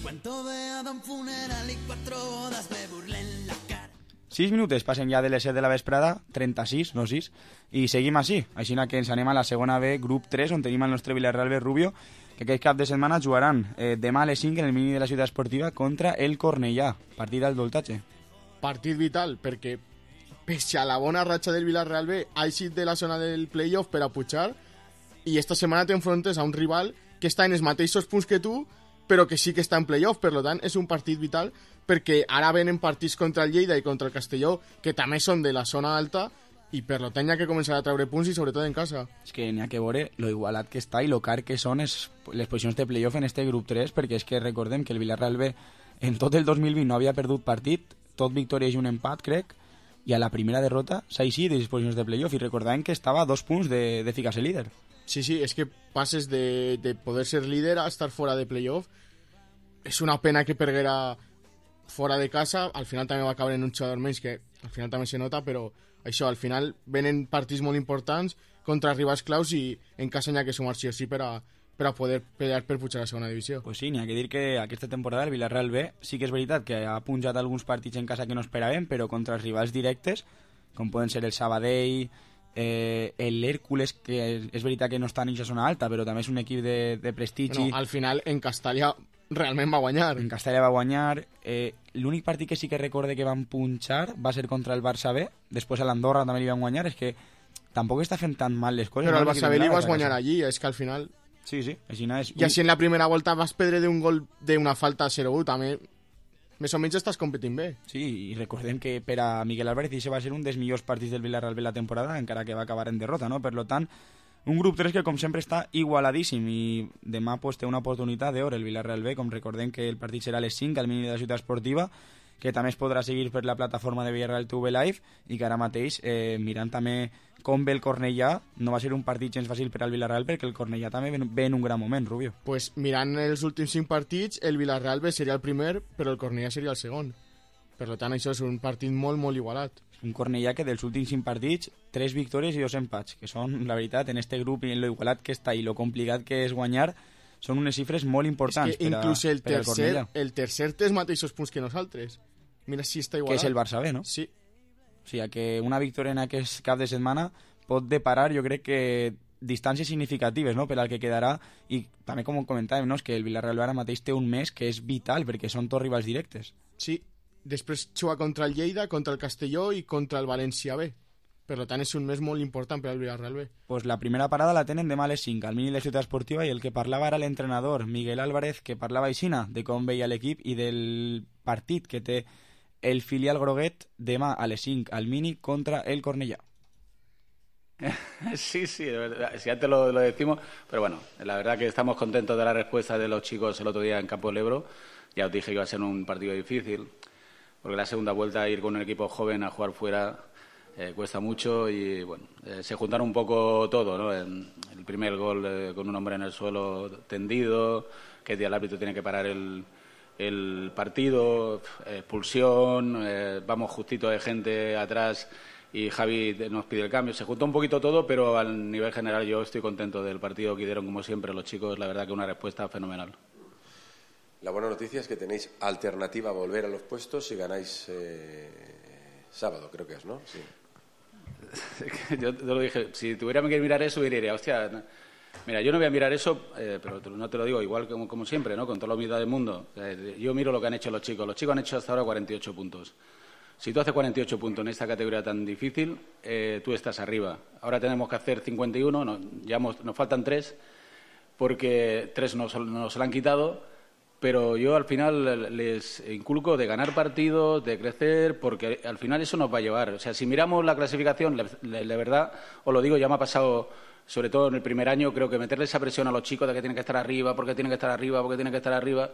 cuento de Adam funeral y 4 bodas, me burlé en la cara. 6 minuts passen ja de les 7 de la vesprada, 36, no 6, i seguim així. Així que ens anem a la segona B, grup 3, on tenim el nostre Vila-real B Rubio, que aquest cap de setmana jugaran demà a les 5 en el mini de la ciutat esportiva contra el Cornellà, partit al Doltatge. Partit vital, perquè pese a la bona ratxa del Vila-real B, ha eixit de la zona del playoff per a pujar, i esta setmana t'enfrontes a un rival que està en els mateixos punts que tu, però que sí que està en playoff, per tant és un partit vital, perquè ara venen partits contra el Lleida i contra el Castelló, que també són de la zona alta, i per tant hi ha que començar a treure punts i sobretot en casa. És que n'hi ha que veure lo igualat que està i lo car que són les posicions de playoff en este grup 3, perquè és que recordem que el Vila-real B en tot el 2020 no havia perdut partit, tot victòries i un empat, crec, i a la primera derrota s'ha eixit de les posicions de playoff, i recordàvem que estava a 2 punts de ficar-se líder. Sí, és que passes de poder ser líder a estar fora de playoff. És una pena que perguera fora de casa, al final també va acabar en un jugador menys, que al final també se nota, però això, al final venen partits molt importants contra rivals claus i en casa n'hi ha que sumar sí o sí per a poder pelear per pujar a la segona divisió. Pues sí, n'hi ha que dir que aquesta temporada el Vila-real B sí que és veritat que ha punjat alguns partits en casa que no esperàvem, però contra els rivals directes, com poden ser el Sabadell, l'Hèrcules, que és veritat que no està en aquesta zona alta, però també és un equip de prestigi. Bueno, al final en Castalla realment va guanyar. En Castalla va guanyar. L'únic partit que sí que recorde que van punxar va ser contra el Barça B, després a l'Andorra també li van guanyar. És que tampoc està fent tan mal les coses. Però al Barça B li vas guanyar allí, és que al final... Sí, així no és. I així en la primera volta vas perdre d'un gol d'una falta 0-1, també més o menys estàs competint bé. Sí, i recordem que per a Miguel Álvarez això va ser un dels millors partits del Vila-real B la temporada, encara que va acabar en derrota, no? Per tant, un grup 3 que com sempre està igualadíssim i demà pues, té una oportunitat d'or el Vila-real B, com recordem que el partit serà a les 5 al mini de la ciutat esportiva, que també es podrà seguir per la plataforma de Villarreal TV Live, i que ara mateix, mirant també com ve el Cornellà, no va ser un partit gens fàcil per al Vila-real, perquè el Cornellà també ve en un gran moment, Rubio. Pues mirant els últims 5 partits, el Vila-real B seria el primer, però el Cornellà seria el segon. Per tant, això és un partit molt, molt igualat. Un Cornellà que dels últims 5 partits, 3 victòries i 2 empats, que són, la veritat, en este grup i en lo igualat que està i lo complicat que és guanyar, són unes xifres molt importants. És que inclús el tercer té els mateixos punts que nosaltres. Mira si està igualat. Que és el Barça B, no? Sí. O sigui, que una victòria en aquest cap de setmana pot deparar, jo crec que distàncies significatives, no?, per al que quedarà, i també com comentàvem, no?, és que el Vila-real ara mateix té un mes que és vital, perquè són tots rivals directes. Sí, després juga contra el Lleida, contra el Castelló i contra el València B. Per tant, és un mes molt important per al Vila-real B. Pues la primera parada la tenen demà a les 5, al mini de la ciutat esportiva, i el que parlava era l'entrenador Miguel Álvarez, que parlava aixina de com veia l'equip i del partit que té el filial groguet demà a les 5 al mini contra el Cornellà. Sí, si antes lo decimos, pero bueno, la verdad que estamos contentos de la respuesta de los chicos el otro día en Campo del Ebro. Ya os dije que iba a ser un partido difícil, porque la segunda vuelta ir con un equipo joven a jugar fuera cuesta mucho y bueno, se juntaron un poco todo, ¿no? El primer gol con un hombre en el suelo tendido, que el árbitro tiene que parar el partido, expulsión, vamos justito de gente atrás y Javi nos pide el cambio. Se juntó un poquito todo, pero al nivel general yo estoy contento del partido que dieron, como siempre, los chicos. La verdad que una respuesta fenomenal. La buena noticia es que tenéis alternativa a volver a los puestos si ganáis sábado, creo que es, ¿no? Sí. Yo te lo dije, si tuviera que mirar eso, diría, hostia, mira, yo no voy a mirar eso, pero no te lo digo igual como siempre, ¿no? Con toda la humildad del mundo. Yo miro lo que han hecho los chicos. Los chicos han hecho hasta ahora 48 puntos. Si tú haces 48 puntos en esta categoría tan difícil, tú estás arriba. Ahora tenemos que hacer 51, nos faltan 3, porque 3 nos lo han quitado, pero yo al final les inculco de ganar partidos, de crecer, porque al final eso nos va a llevar. O sea, si miramos la clasificación, de verdad, os lo digo, ya me ha pasado, sobre todo en el primer año, creo que meterle esa presión a los chicos de que tienen que estar arriba, porque tienen que estar arriba, porque tienen que estar arriba,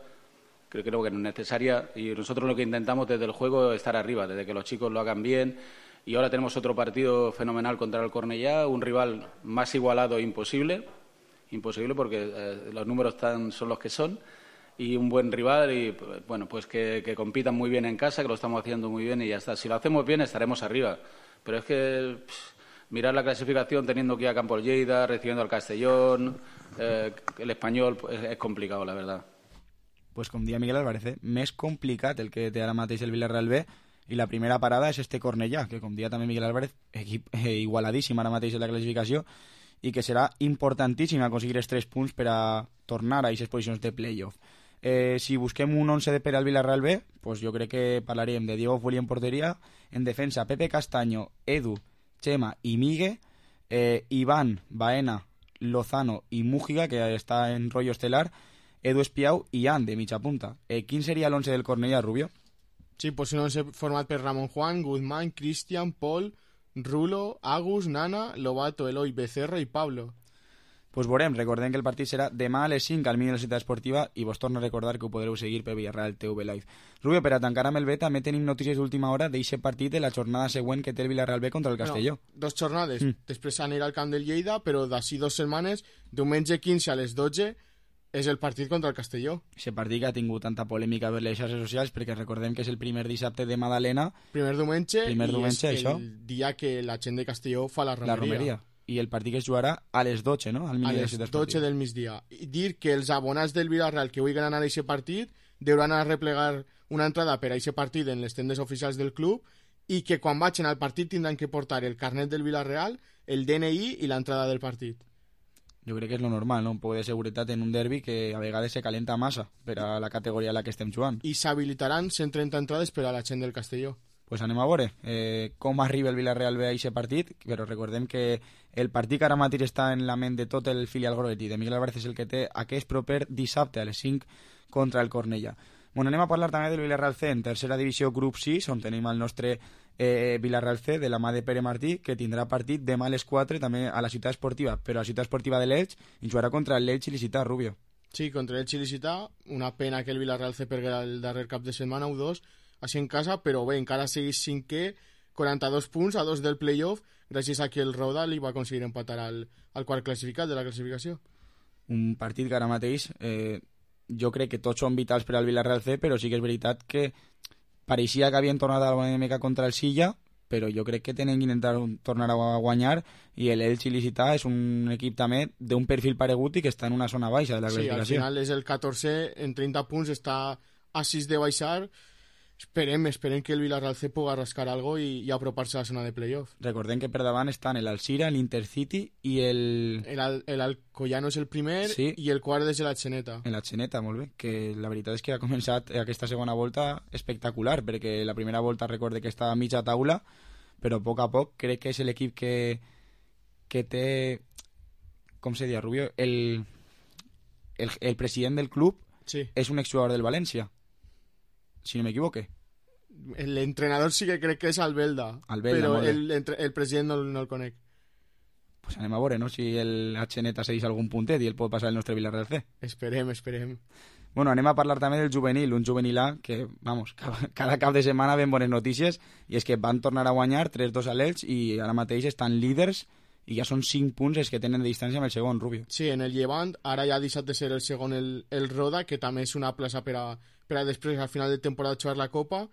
creo que no es necesaria, y nosotros lo que intentamos desde el juego es estar arriba, desde que los chicos lo hagan bien, y ahora tenemos otro partido fenomenal contra el Cornellá, un rival más igualado imposible porque los números son los que son, y un buen rival, y bueno, pues que compitan muy bien en casa, que lo estamos haciendo muy bien y ya está. Si lo hacemos bien estaremos arriba, pero es que mirar la clasificación teniendo que ir a Campos Lleida, recibiendo al Castellón, el Español, pues, es complicado, la verdad. Pues com dia Miguel Álvarez, més complicat el que té ara mateix el Villarreal B, i la primera parada és este Cornellà, que com dia també Miguel Álvarez, equip igualadíssim ara mateix en la classificació, i que serà importantíssim aconseguir els 3 punts per a tornar a aquestes posicions de play-off. Si busquem un 11 per al Villarreal B, pues jo crec que parlarem de Diego Fuli en porteria, en defensa Pepe Castaño, Edu, Chema i Migue, Iván, Baena, Lozano i Mújiga, que està en rotllo estelar, Edu Espiau i Ian, de mitja punta. Quin seria l'11 del Cornellà, Rubio? Sí, pues un 11 format per Ramon Juan, Guzmán, Cristian, Pol, Rulo, Agus, Nana, Lobato, Eloi, Becerra i Pablo. Pues veurem, recordem que el partit serà demà a les 5 al Mini de la Ciutat Esportiva i vos torno a recordar que ho podreu seguir per Villarreal TV Live. Rubio, per a tancar amb el B també tenim notícies d'última hora d'eixe partit de la jornada següent que té el Villarreal B contra el Castelló. No, 2 jornades. Després anirà al camp del Lleida, però d'ací 2 setmanes, diumenge 15 a les 12, és el partit contra el Castelló. Aquest partit que ha tingut tanta polèmica per les xarxes socials, perquè recordem que és el primer dissabte de Madalena. Primer diumenge i és això. el dia que la gent de Castelló fa la romeria. I el partit que es jugarà a les 12, no? A les 12 del migdia. I dir que els abonats del Villarreal que vulguin anar a aquest partit deuran anar a replegar una entrada per a aquest partit en les tendes oficials del club i que quan vagin al partit tindran que portar el carnet del Villarreal, el DNI i l'entrada del partit. Jo crec que és lo normal, no? Un poc de seguretat en un derbi que a vegades se calenta massa per a la categoria en la que estem jugant. I s'habilitaran 130 entrades per a la gent del Castelló. Pues anem a veure com arriba el Villarreal B a aquest partit, però recordem que el partit que ara mateix està en la ment de tot el filial groguet i de Miguel Álvarez és el que té aquest proper dissabte a les 5 contra el Cornellà. Bueno, anem a parlar també del Villarreal C en tercera divisió grup 6, on tenim el nostre Villarreal C de la mà de Pere Martí, que tindrà partit demà a les 4 també a la Ciutat Esportiva, però a la Ciutat Esportiva de l'Elx, i jugarà contra el Elx il·licità, Rubio. Sí, contra el il·licità, una pena que el Villarreal C perguera el darrer cap de setmana o 2, així en casa, però bé, encara segueix 5è, 42 punts a 2 del playoff, gràcies a que el Roda li va aconseguir empatar al quart classificat de la classificació. Un partit que ara mateix jo crec que tots són vitals per al Villarreal C, però sí que és veritat que pareixia que havien tornat a la dinàmica contra el Silla, però jo crec que tenen que intentar tornar a guanyar, i l'Elx il·licità és un equip també d'un perfil paregut i que està en una zona baixa de la classificació. Sí, al final és el 14, en 30 punts està a 6 de baixar. Esperem que el Villarreal C puga rascar algo i apropar-se a la zona de playoff. Recordem que per davant estan l'Alcira, l'Intercity i el Alcoyano és el primer, sí, i el quart és l'Atxeneta. L'Atxeneta, molt bé, que la veritat és que ha començat aquesta segona volta espectacular, perquè la primera volta recorde que estava a mitja taula, però a poc crec que és l'equip que té, com se diu, Rubio, el president del club, sí, és un exjugador del València, si no m'equivoque. L'entrenador sí que crec que és Albelda, però el president no el conec. Pues anem a veure, no?, si l'Atxeneta segueix algun puntet i el pot passar el nostre Villarreal C. Esperem. Bueno, anem a parlar també del juvenil, un juvenil A que, vamos, cada cap de setmana ven bones notícies, i és que van tornar a guanyar 3-2 a l'Elx i ara mateix estan líders i ja són 5 punts els que tenen de distància amb el segon, Rubio. Sí, en el Llevant, ara ja ha deixat de ser el segon el Roda, que també és una plaça per a després, al final de temporada, jugar la Copa,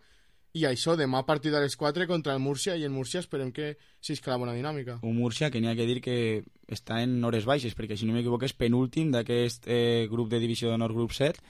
I això, demà partit a les 4 contra el Múrcia, i el Múrcia esperem que s'escala bona dinàmica. Un Múrcia que n'hi ha que dir que està en hores baixes, perquè si no m'equivoco és penúltim d'aquest grup de divisió d'honor, grup 7,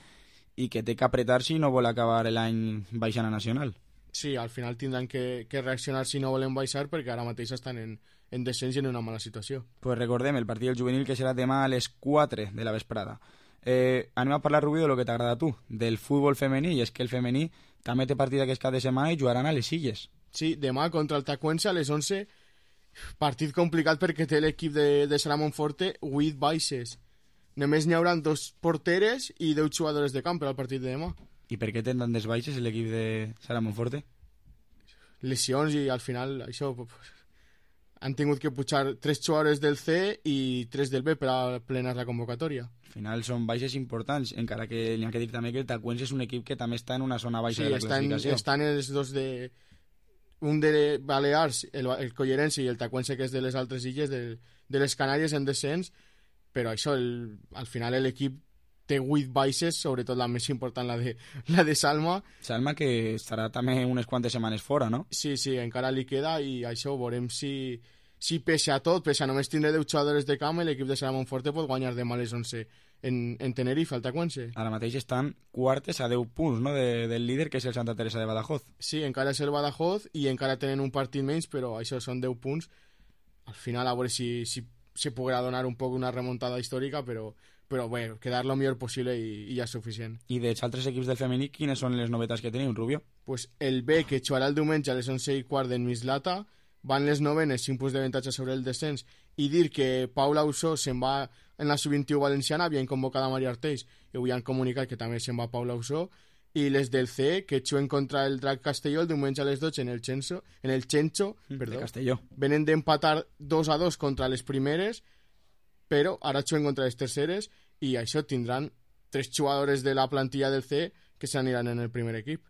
i que té que apretar si no vol acabar l'any baixant a Nacional. Sí, al final tindran que reaccionar si no volen baixar, perquè ara mateix estan en descens i en una mala situació. Pues recordem el partit del juvenil, que serà demà a les 4 de la vesprada. Anem a parlar, Rubí, de lo que t'agrada a tu, del futbol femení, i és que el femení també té partit aquest cap de setmana i jugaran a les Illes. Sí, demà contra el Tacuense a les 11, partit complicat perquè té l'equip de Sara Monforte 8 baixes. Només n'hi haurà 2 porteres i 10 jugadores de camp per al partit de demà. I per què tenen tantes baixes l'equip de Sara Monforte? Lesions, i al final això han tingut que pujar 3 jugadores del C i 3 del B per a plenar la convocatòria. Al final són baixes importants, encara que n'hi ha que dir també que el Tacuense és un equip que també està en una zona baixa de la classificació. Estan els dos un de Balears, el Collerense, i el Tacuense, que és de les altres illes, de les Canàries en descens, però això, al final l'equip té 8 baixes, sobretot la més important, la de Salma. Salma, que estarà també unes quantes setmanes fora, no? Sí, encara li queda, i això veurem si pese a tot, pese a només tindre 10 jugadores de camp, l'equip de Sara Monforte pot guanyar demà a les 11 en Tenerife, al Tacuense. Ara mateix estan quartes a 10 punts, no?, del líder, que és el Santa Teresa de Badajoz. Sí, encara és el Badajoz, i encara tenen un partit menys, però això són 10 punts. Al final, a veure si se podrà donar un poc una remuntada històrica, però bé, quedar lo millor possible i ja és suficient. I dels altres equips del femení, quines són les novetats que teniu, Rubio? Pues el B, que jugarà el diumenge a les 11:15 d'en Mislata, van les novenes, 5 punts d'avantatge sobre el descens, i dir que Paula Usó se'n va en la sub-21 valenciana, havien convocat a Maria Arteix, i avui han comunicat que també se'n va Paula Usó, i les del C, que juguen contra el Drac Castelló el diumenge a les 12 en el Chencho, de Castelló. Venen d'empatar 2-2 contra les primeres, però ara juguen contra les terceres, i això tindran 3 jugadores de la plantilla del C que s'aniran en el primer equip.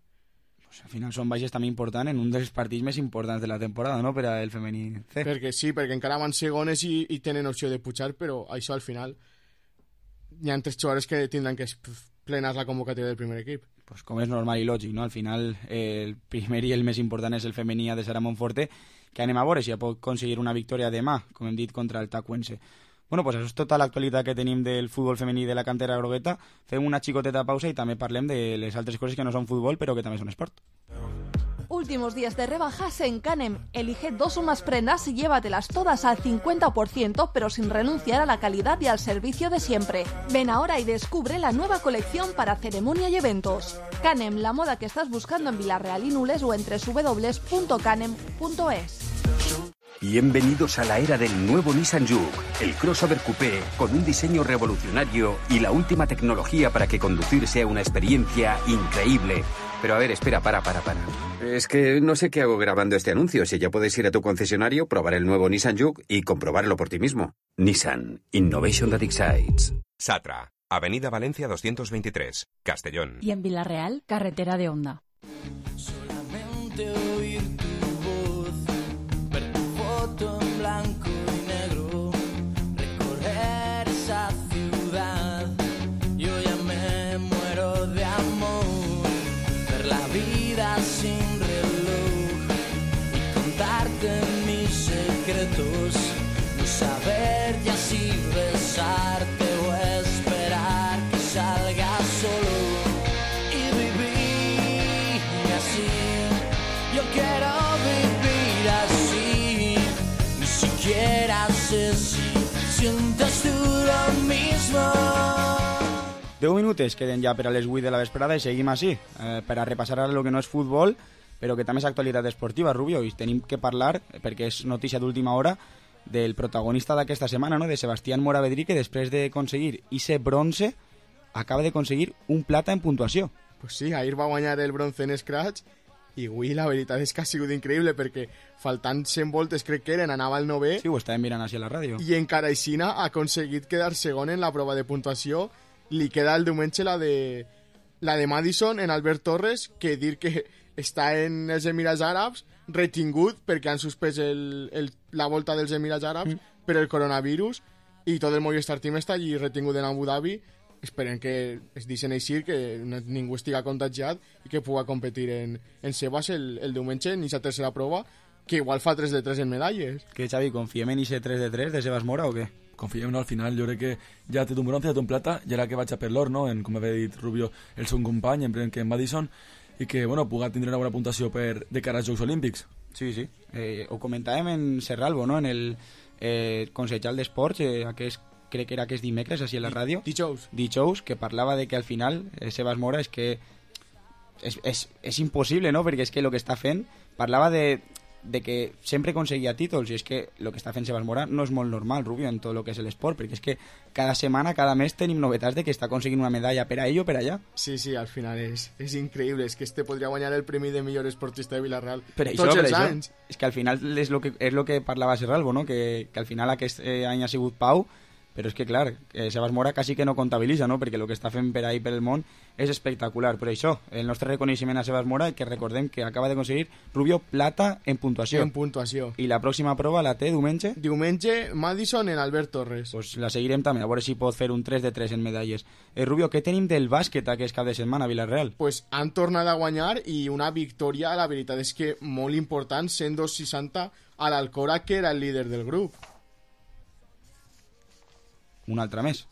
Pues al final són baixes també importants en un dels partits més importants de la temporada, no?, per al femení C. Perquè encara van segones i tenen opció de pujar, però això al final hi ha 3 jugadores que tindran que plenar la convocatòria del primer equip. Pues com és normal i lògic, no? Al final el primer i el més important és el femení de Sara Monforte, que anem a veure si ja pot aconseguir una victòria demà, com hem dit, contra el Tacuense. Bueno, pues això és tota l'actualitat que tenim del futbol femení de la cantera grogueta. Fem una xicoteta pausa i també parlem de les altres coses que no són futbol, però que també són esport. Últimos días de rebajas en Canem. Elige 2 o más prendas y llévatelas todas al 50%, pero sin renunciar a la calidad y al servicio de siempre. Ven ahora y descubre la nueva colección para ceremonia y eventos. Canem, la moda que estás buscando en Villarreal y Nules o en www.canem.es. Bienvenidos a la era del nuevo Nissan Juke, el crossover coupé con un diseño revolucionario y la última tecnología para que conducir sea una experiencia increíble. Pero a ver, espera, para. Es que no sé qué hago grabando este anuncio. Si ya puedes ir a tu concesionario, probar el nuevo Nissan Juke y comprobarlo por ti mismo. Nissan, Innovation that excites. Satra, Avenida Valencia 223, Castellón. Y en Villarreal, carretera de Honda. Solamente oír tu voz, ver tu foto en blanco y negro, recorrer esa ciudad. Yo ya me muero de amor, ver la vida sin reloj y contarte mis secretos, no saber ya si besarte o esperar que salga solo y vivir así. Yo quiero vivir así, ni siquiera sé si sientes tú lo mismo. 10 minuts queden ja per a les 8 de la vesprada i seguim així, per a repassar ara el que no és futbol, però que també és actualitat esportiva, Rubio, i tenim que parlar, perquè és notícia d'última hora, del protagonista d'aquesta setmana, no?, de Sebastián Moravedrí, que després d'aconseguir ese bronze acaba d'aconseguir un plata en puntuació. Pues sí, ahir va guanyar el bronze en Scratch i avui la veritat és que ha sigut increïble perquè faltant 100 voltes crec que eren, anava al 9è. Sí, ho estàvem mirant així a la ràdio. I encara aixina ha aconseguit quedar segon en la prova de puntuació. Li queda el diumenge la de Madison en Albert Torres, que dir que està en els Emirats Àrabs retingut perquè han suspès la volta dels Emirats Àrabs per el coronavirus, i tot el Movistar Team està allí retingut en Abu Dhabi esperem que es deixen així, que ningú estiga contagiat i que pugui competir en Sebas el diumenge en aquesta tercera prova, que igual fa 3 de 3 en medalles. Que, Xavi, confiem en ese 3 de 3 de Sebas Mora o què? Confiem, no? Al final jo crec que ja té un bronze, ja té un plata, i ara que vaig a per l'or, no? Com havia dit Rubio, el seu company, en Madison, i que, bueno, pugui tindre una bona puntuació de cara als Jocs Olímpics. Sí. Ho comentàvem en Serralbo, no? En el Consellal d'Esports, crec que era aquest dimecres, així a la ràdio. Dijous, que parlava de que al final Sebas Mora és que és impossible, no? Perquè és que el que està fent, parlava de que sempre aconseguia títols, i és que el que està fent Sebas Mora no és molt normal, Rubio, en tot el que és l'esport, perquè és que cada setmana, cada mes tenim novetats de que està aconseguint una medalla per a ell o per allà. Sí, al final és increïble, és que podria guanyar el premi de millor esportista de Villarreal tots els anys. És que al final és lo que parlava Serralbo, no? Que al final aquest any ha sigut Pau, però és que, clar, Sebas Mora quasi que no comptabilitza, no? Perquè el que està fent per ahí, per el món, és espectacular. Per això, el nostre reconeixement a Sebas Mora, que recordem que acaba d'aconseguir Rubio plata en puntuació. I la pròxima prova la té diumenge? Diumenge, Madison en Albert Torres. Pues la seguirem també, a veure si pot fer un 3 de 3 en medalles. Rubio, què tenim del bàsquet aquest cap de setmana a Villarreal? Pues han tornat a guanyar i una victòria, la veritat és que molt important, 102-60 a l'Alcora, que era el líder del grup. Un altre més,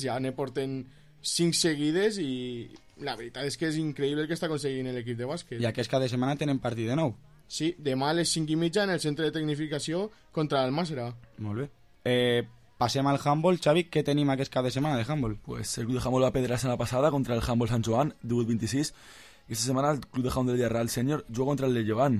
ja ne porten 5 seguides i la veritat és que és increïble el que està aconseguint l'equip de bàsquet. I aquest cada setmana tenen partit de nou. Sí, demà a les 5:30 en el centre de tecnificació contra l'Almàssera. Molt bé. Passem al handball. Xavi, què tenim aquest cap de setmana de handball? Pues el club de handball va perdre la setmana passada contra el handball Sant Joan, 18-26, i esta setmana el club de handball del Villarreal Sènior juga contra el de Llevant,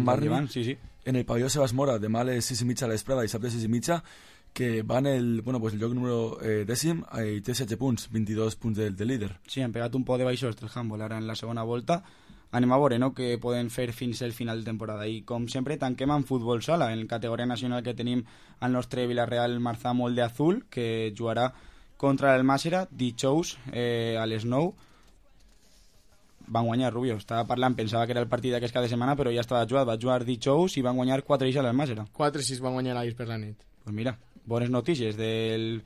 Barri, sí. En el pavelló Sebas Mora, demà a les 6:30 a l'esprada i dissabte a les 6:30, que van el lloc número 10 i té 7 punts, 22 punts del líder. Sí, han pegat un poc de baixós del handball ara en la segona volta. Anem a veure, no?, què poden fer fins al final de temporada. I com sempre tanquem amb futbol sala. En categoria nacional que tenim el nostre Villarreal Marzà Molde Azul, que jugarà contra el Màssera dijous a les 9. Van guanyar, Rubio. Estava parlant, pensava que era el partit d'aquest cap de setmana, però ja estava jugat. Va jugar dijous i van guanyar 4-6 al Màssera. 4-6 van guanyar ahir per la nit. Pues mira, bones notícies del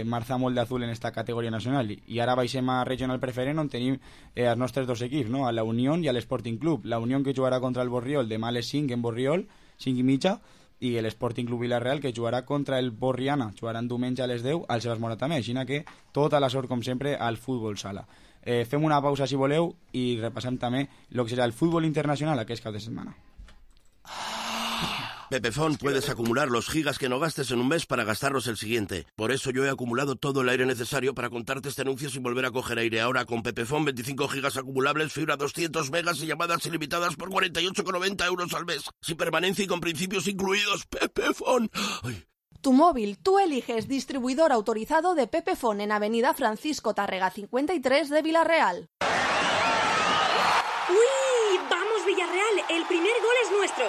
Marzà Molde Azul en esta categoria nacional. I ara baixem a Regional Preferent, on tenim els nostres dos equips, no? A la Unión i a l'Sporting Club. La Unión, que jugarà contra el Borriol demà a les 5 en Borriol, 5:30, i l'Sporting Club Villarreal, que jugarà contra el Borriana. Jugaran diumenge a les 10 al Sebas Mora també. Així que tota la sort, com sempre, al futbol sala. Fem una pausa, si voleu, i repassem també el que serà el futbol internacional aquest cap de setmana. Pepefon, puedes acumular los gigas que no gastes en un mes para gastarlos el siguiente. Por eso yo he acumulado todo el aire necesario para contarte este anuncio sin volver a coger aire. Ahora con Pepefon, 25 gigas acumulables, fibra 200 megas y llamadas ilimitadas por 48,90 euros al mes. Sin permanencia y con principios incluidos. Pepefon. Ay. Tu móvil, tú eliges distribuidor autorizado de Pepefon en Avenida Francisco Tárrega 53 de Villarreal. ¡Uy! ¡Vamos, Villarreal! El primer gol es nuestro.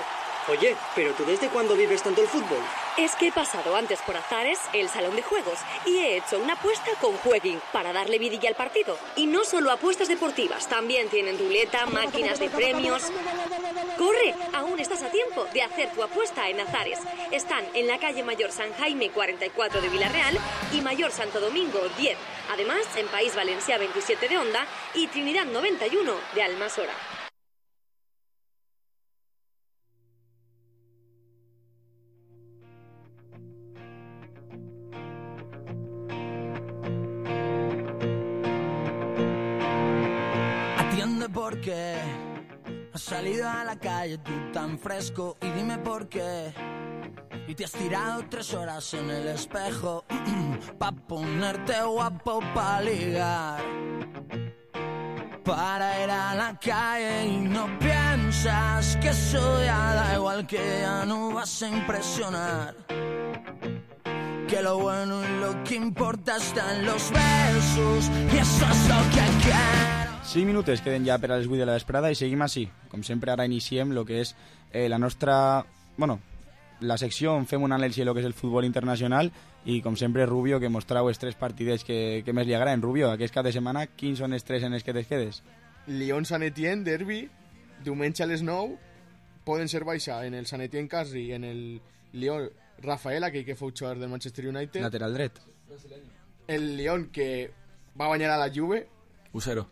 Oye, ¿pero tú desde cuándo vives tanto el fútbol? Es que he pasado antes por Azares, el salón de juegos, y he hecho una apuesta con Jueguin para darle vidilla al partido. Y no solo apuestas deportivas, también tienen ruleta, máquinas de premios. ¡Corre! Aún estás a tiempo de hacer tu apuesta en Azares. Están en la calle Mayor San Jaime 44 de Villarreal y Mayor Santo Domingo 10. Además, en País Valencià 27 de Onda y Trinidad 91 de Almasora. Porque has salido a la calle tú tan fresco y dime por qué. Y te has tirado 3 horas en el espejo pa' ponerte guapo, pa' ligar, para ir a la calle. Y no piensas que eso ya da igual, que ya no vas a impresionar, que lo bueno y lo que importa está en los besos, y eso es lo que quiero. 5 minuts queden ja per a les 8 de la vesprada i seguim així. Com sempre, ara iniciem el que és la nostra... Bueno, la secció on fem un anàlisi de lo que és el futbol internacional i, com sempre, Rubio, que mostrau els 3 partidets que més li agraden. Rubio, aquest cap de setmana, quins són els 3 en els que te quedes? Lyon-Sant Etienne, derbi, diumenge a les 9, poden ser baixa en el Sant Etienne Casri i en el Lyon Rafael, aquell que fou jugador del Manchester United. Lateral dret. el Lyon, que va a bañar a la Juve. 1-0.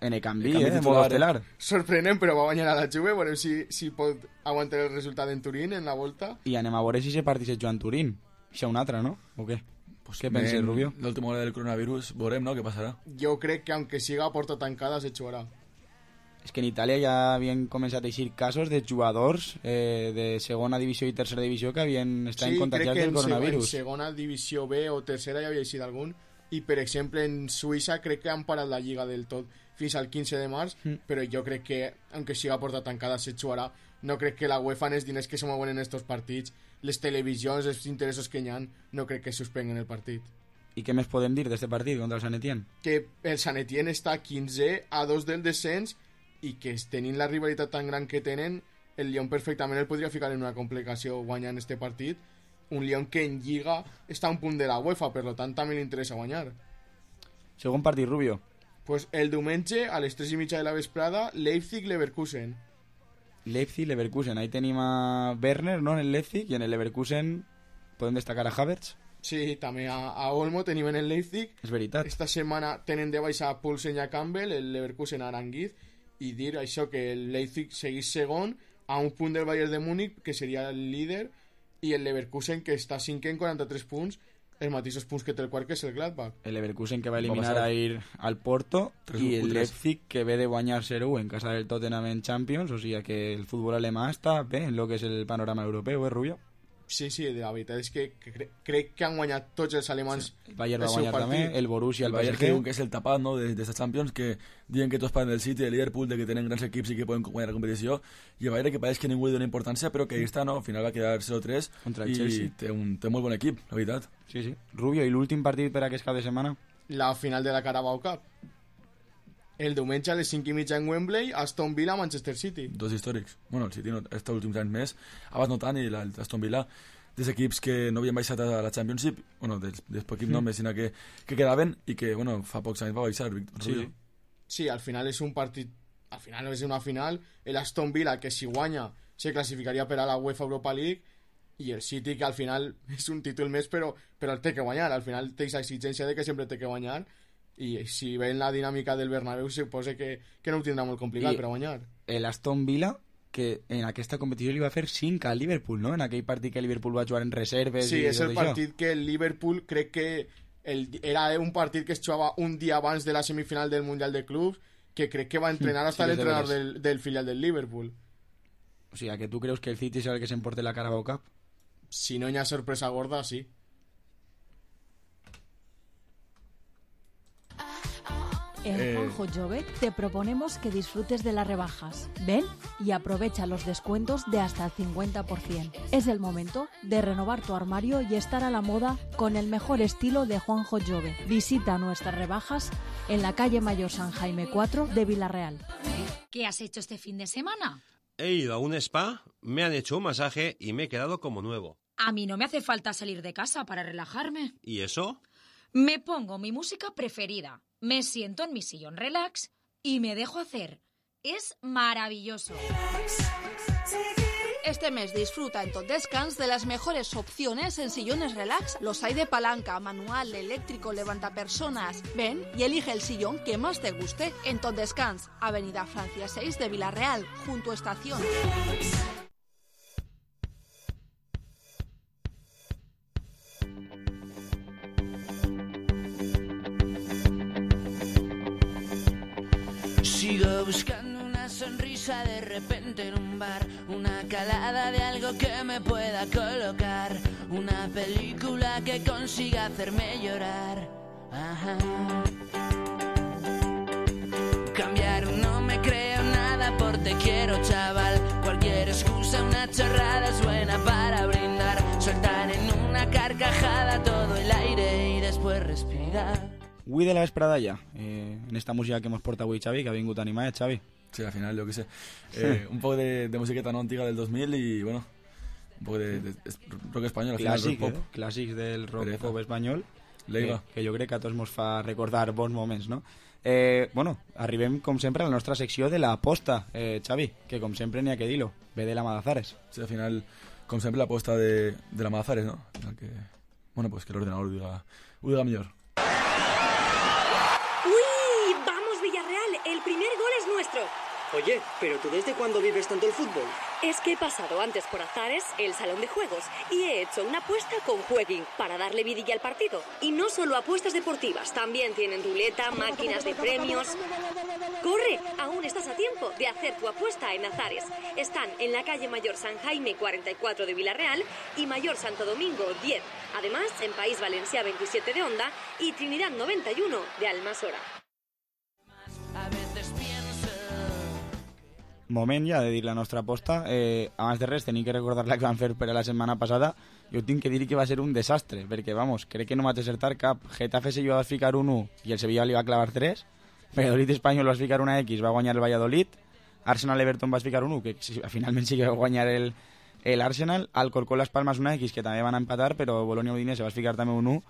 En el canvi, en modo estelar. Sorprenent, però va guanyar a la Juve. Veurem si pot aguantar el resultat en Turín, en la volta. I anem a veure si se partit se juga en Turín. Això un altre, no? O què? Pues què penses, Rubio? L'última hora del coronavirus, veurem, no? Què passarà? Jo crec que, aunque siga a porta tancada, se jugarà. És que en Itàlia ja havien començat a eixir casos de jugadors de segona divisió i tercera divisió que havien estat contagiats del coronavirus. Sí, crec que en segona divisió B o tercera ja havia eixit algun. I, per exemple, en Suïssa crec que han parat la lliga del tot fins al 15 de març, però jo crec que, aunque siga a porta tancada, se jugarà. No crec que la UEFA, en els diners que se mouen en estos partits, les televisions, els interessos que hi ha, no crec que suspenguen el partit. I què més podem dir d'este partit contra el Sant Etienne? Que el Sant Etienne està 15 a 2 del descens i que tenint la rivalitat tan gran que tenen, el Lyon perfectament el podria ficar en una complicació guanyant este partit. Un Lyon que en Lliga està a un punt de la UEFA, per tant també li interessa guanyar. Segon partit, Rubio. Pues el diumenge a les 3:30 de la vesprada, Leipzig-Leverkusen. Leipzig-Leverkusen, ahí tenim a Werner, no?, en el Leipzig, i en el Leverkusen podem destacar a Havertz. Sí, també a Olmo tenim en el Leipzig. És veritat. Esta setmana tenen de baixa a Poulsen i a Campbell, el Leverkusen a Aranguiz, i dir això, que el Leipzig seguís segon a un punt del Bayern de Múnich, que seria el líder, i el Leverkusen, que està 5 en 43 punts, els mateixos punts que té el quart, que és el Gladbach. El Leverkusen, que va eliminar ahir al Porto, i el Leipzig, que ve de guanyar 0 en casa del Tottenham en Champions, o sigui que el futbol alemà està bé en lo que és el panorama europeu, Rubio? Sí, la veritat és que crec que han guanyat tots els alemans. Sí. El Bayern va guanyar també, el Borussia, el Bayern que és el tapat, no?, d'esta Champions, que diuen que tots parlen del City, del Liverpool, de que tenen grans equips i que poden guanyar la competició, i el Bayern que pareix que ningú li dona importància, però que ahí està, no?, al final va quedar 0-3 contra el i Chelsea. Té molt bon equip, la veritat. Sí. Rubio, i l'últim partit per aquest cap de setmana? La final de la Carabao Cup. El diumenge a les 5:30 en Wembley, Aston Villa, Manchester City. Dos històrics. Bueno, el City no, els últims anys més, abans no tant, i l'Aston Villa, dels equips que no havien baixat a la Championship, bueno, dels equips només, sinó que quedaven i que, bueno, fa pocs anys va baixar. Sí, al final és un partit, al final és una final, el Aston Villa, que si guanya se classificaria per a la UEFA Europa League, i el City, que al final és un títol més, però el té que guanyar, al final té aquesta exigència de que sempre té que guanyar, i si veuen la dinàmica del Bernabéu suposa que no ho tindrà molt complicat per a guanyar. El Aston Villa, que en aquesta competició li va fer 5 al Liverpool, no?, en aquell partit que el Liverpool va jugar en reserves. Sí, és el partit que el Liverpool crec que era un partit que es jugava un dia abans de la semifinal del Mundial de Clubs, que crec que va entrenar hasta l'entrenador del filial del Liverpool. O sigui, que tu creus que el City serà el que s'emporte la Carabao Cup? Si no hi ha sorpresa gorda, sí. En Juanjo Jove te proponemos que disfrutes de las rebajas. Ven y aprovecha los descuentos de hasta el 50%. Es el momento de renovar tu armario y estar a la moda con el mejor estilo de Juanjo Jove. Visita nuestras rebajas en la calle Mayor San Jaime 4 de Villarreal. ¿Qué has hecho este fin de semana? He ido a un spa, me han hecho un masaje y me he quedado como nuevo. A mí no me hace falta salir de casa para relajarme. ¿Y eso? Me pongo mi música preferida, me siento en mi sillón relax y me dejo hacer. Es maravilloso. Este mes disfruta en Tot Descans de las mejores opciones en sillones relax. Los hay de palanca, manual, eléctrico, levantapersonas. Ven y elige el sillón que más te guste en Tot Descans, Avenida Francia 6 de Villarreal, junto a Estación. Sigo buscando una sonrisa de repente en un bar, una calada de algo que me pueda colocar, una película que consiga hacerme llorar. Ajá. Cambiar no me creo nada por te quiero, chaval. Cualquier excusa, una chorrada es buena para brindar, soltar en una carcajada todo el aire y después respirar. Avui de la vesprada ja, en esta música que hemos portat avui, Xavi, que ha vingut animat, Xavi. Sí, al final, yo qué sé. Un poco de musiqueta no antigua del 2000 y, bueno, un poco de rock español. Clàssic, rock pop. Clàssics del rock pop espanyol. Que jo crec que a tots ens fa recordar bons moments, no? Bueno, arribem, com sempre, a la nostra secció de l'aposta, Xavi, que com sempre n'hi ha que dir-lo, ve de la Madazares. Sí, al final, com sempre, l'aposta de la Madazares, ¿no? Que, bueno, pues que l'ordenador ho diga millor. Oye, ¿pero tú desde cuándo vives tanto el fútbol? Es que he pasado antes por Azares, el salón de juegos, y he hecho una apuesta con Jueguin para darle vidilla al partido. Y no solo apuestas deportivas, también tienen ruleta, máquinas de premios. ¡Corre! Aún estás a tiempo de hacer tu apuesta en Azares. Están en la calle Mayor San Jaime 44 de Villarreal y Mayor Santo Domingo 10. Además, en País Valencià 27 de Onda y Trinidad 91 de Almasora. Moment ja de dir la nostra aposta. Abans de res, tenim que recordar la que vam fer per a la setmana passada. Jo tinc que dir que va ser un desastre, perquè, vamos, crec que no vaig acertar cap. Getafe Sevilla va ficar un 1 i el Sevilla li va clavar 3. Valladolid Espanyol va ficar una X, va guanyar el Valladolid. Arsenal Everton va ficar un 1, que finalment sí que va guanyar el Arsenal. Alcorcón Las Palmas una X, que també van empatar, però Bolonia Udinese va ficar també un 1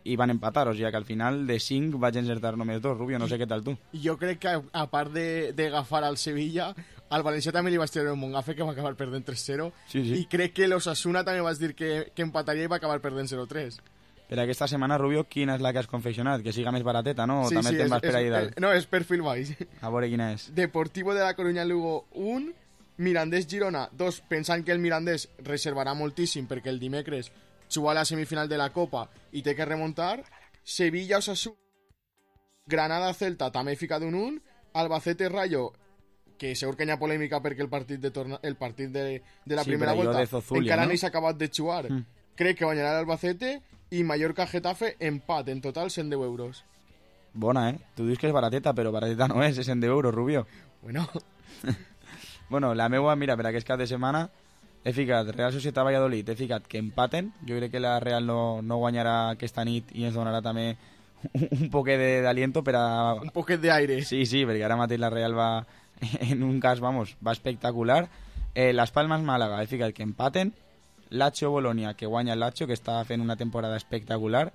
i van empatar, o sigui que al final de 5 vaig encertar només 2, Rubio, no sé què tal tu. Jo crec que a part d'agafar al Sevilla, al València també li vaig treure un bon gafe que va acabar perdent 3-0, sí. I crec que l'Osasuna també vas dir que empataria i va acabar perdent 0-3. Per aquesta setmana, Rubio, quina és la que has confeccionat? Que siga més barateta, no? O sí, també sí, te'n vas per ahí dalt? No, és perfil baix. A veure quina és. Deportivo de la Coruña Lugo 1, Mirandés Girona 2, pensant que el Mirandés reservarà moltíssim perquè el dimecres juga a la semifinal de la Copa i té que remuntar. Sevilla Osasuna, Granada Celta també fica d'un 1, Albacete Rayo, que segur que hi ha polèmica perquè el partit de la primera volta encara no s'ha acabat de jugar. Crec que guanyarà l'Albacete i Mallorca Getafe empat, en total 110 euros. Bona, Tu dius que és barateta, però barateta no és 110 euros, Rubio. Bueno. Bueno, la meua, mira, per aquest cap de setmana he ficat Real Societat Valladolid, he ficat que empaten. Jo crec que la Real no guanyarà aquesta nit i ens donarà també un poquet d'aliento per a... Un poquet d'aire. Sí, perquè ara mateix la Real va, en un cas, vamos, va espectacular. Las Palmas Màlaga, he ficat que empaten. Lazio Bolonia, que guanya el Lazio, que està fent una temporada espectacular.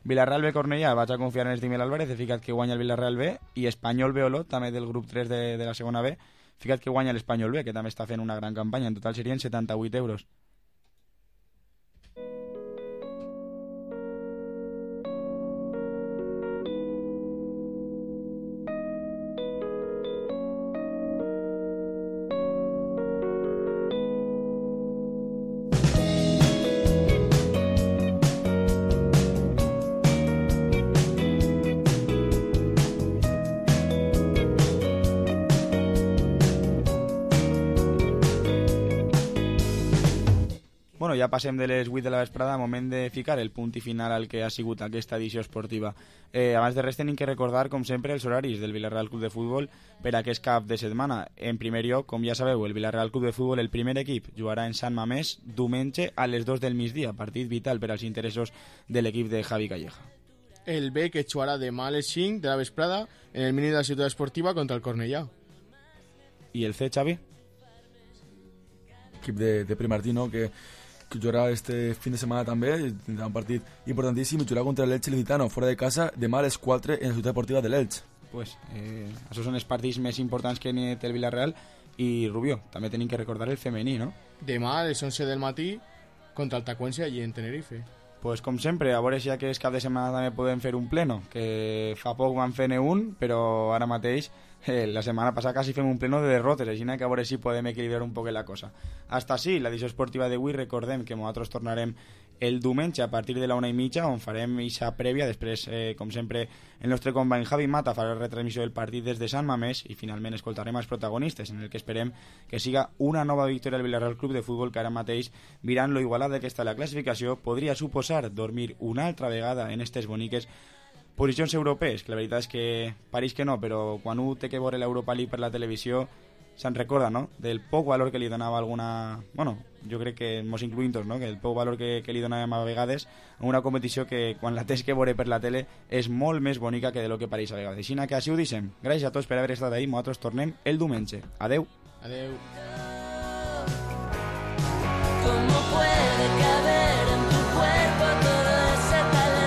Villarreal B Cornellà, vaig a confiar en Estimel Álvarez, he ficat que guanya el Villarreal B. I Espanyol B Olot, també del grup 3 de la segona B, ficat que guanya l'Espanyol B, que també està fent una gran campanya. En total serien 78 euros. Bueno, ja passem de les 8 de la vesprada, moment de ficar el punt i final al que ha sigut aquesta edició esportiva. Abans de res tenim que recordar, com sempre, els horaris del Villarreal Club de Futbol per a aquest cap de setmana. En primer lloc, com ja sabeu, el Villarreal Club de Futbol, el primer equip, jugarà en Sant Mamés diumenge a les 2 del migdia, partit vital per als interessos de l'equip de Javi Calleja. El B, que jugarà demà a les 5 de la vesprada en el mini de la ciutat esportiva contra el Cornellà. I el C, Xavi? Equip de Primartino, que jugarà este fin de setmana també, tindrà un partit importantíssim, i jugarà contra l'Elche Licitano, fora de casa, demà a les 4 en la ciutat esportiva de l'Elche. Pues, això són els partits més importants que té el Villarreal. I Rubio, també tenim que recordar el femení, no? Demà a les 11 del matí contra el Tacuense allí en Tenerife. Pues com sempre, a veure si aquest cap de setmana també podem fer un pleno, que fa poc vam fer-ne un, però ara mateix la setmana passada quasi fem un pleno de derrotes, així que a veure si podem equilibrar un poc la cosa. Hasta així, l'edició esportiva d'avui, recordem que nosaltres tornarem el diumenge a partir de la 1:30, on farem ixa prèvia. Després, com sempre, el nostre company Javi Mata farà la retransmissió del partit des de Sant Mamés i finalment escoltarem els protagonistes, en el que esperem que siga una nova victòria del Villarreal Club de Futbol, que ara mateix, mirant lo igualada que està la classificació, podria suposar dormir una altra vegada en aquestes boniques posicions europees, que la veritat és que pareix que no, però quan un té que veure l'Europa League per la televisió se'n recorda, no?, del poc valor que li donava alguna... Bueno, jo crec que mos incluïm tots, no?, que el poc valor que li donàvem a vegades a una competició que quan la tens que veure per la tele és molt més bonica que de lo que pareix a vegades. Així que així ho deixem. Gràcies a tots per haver estat ahí, nosaltres tornem el diumenge. Adeu. Adeu.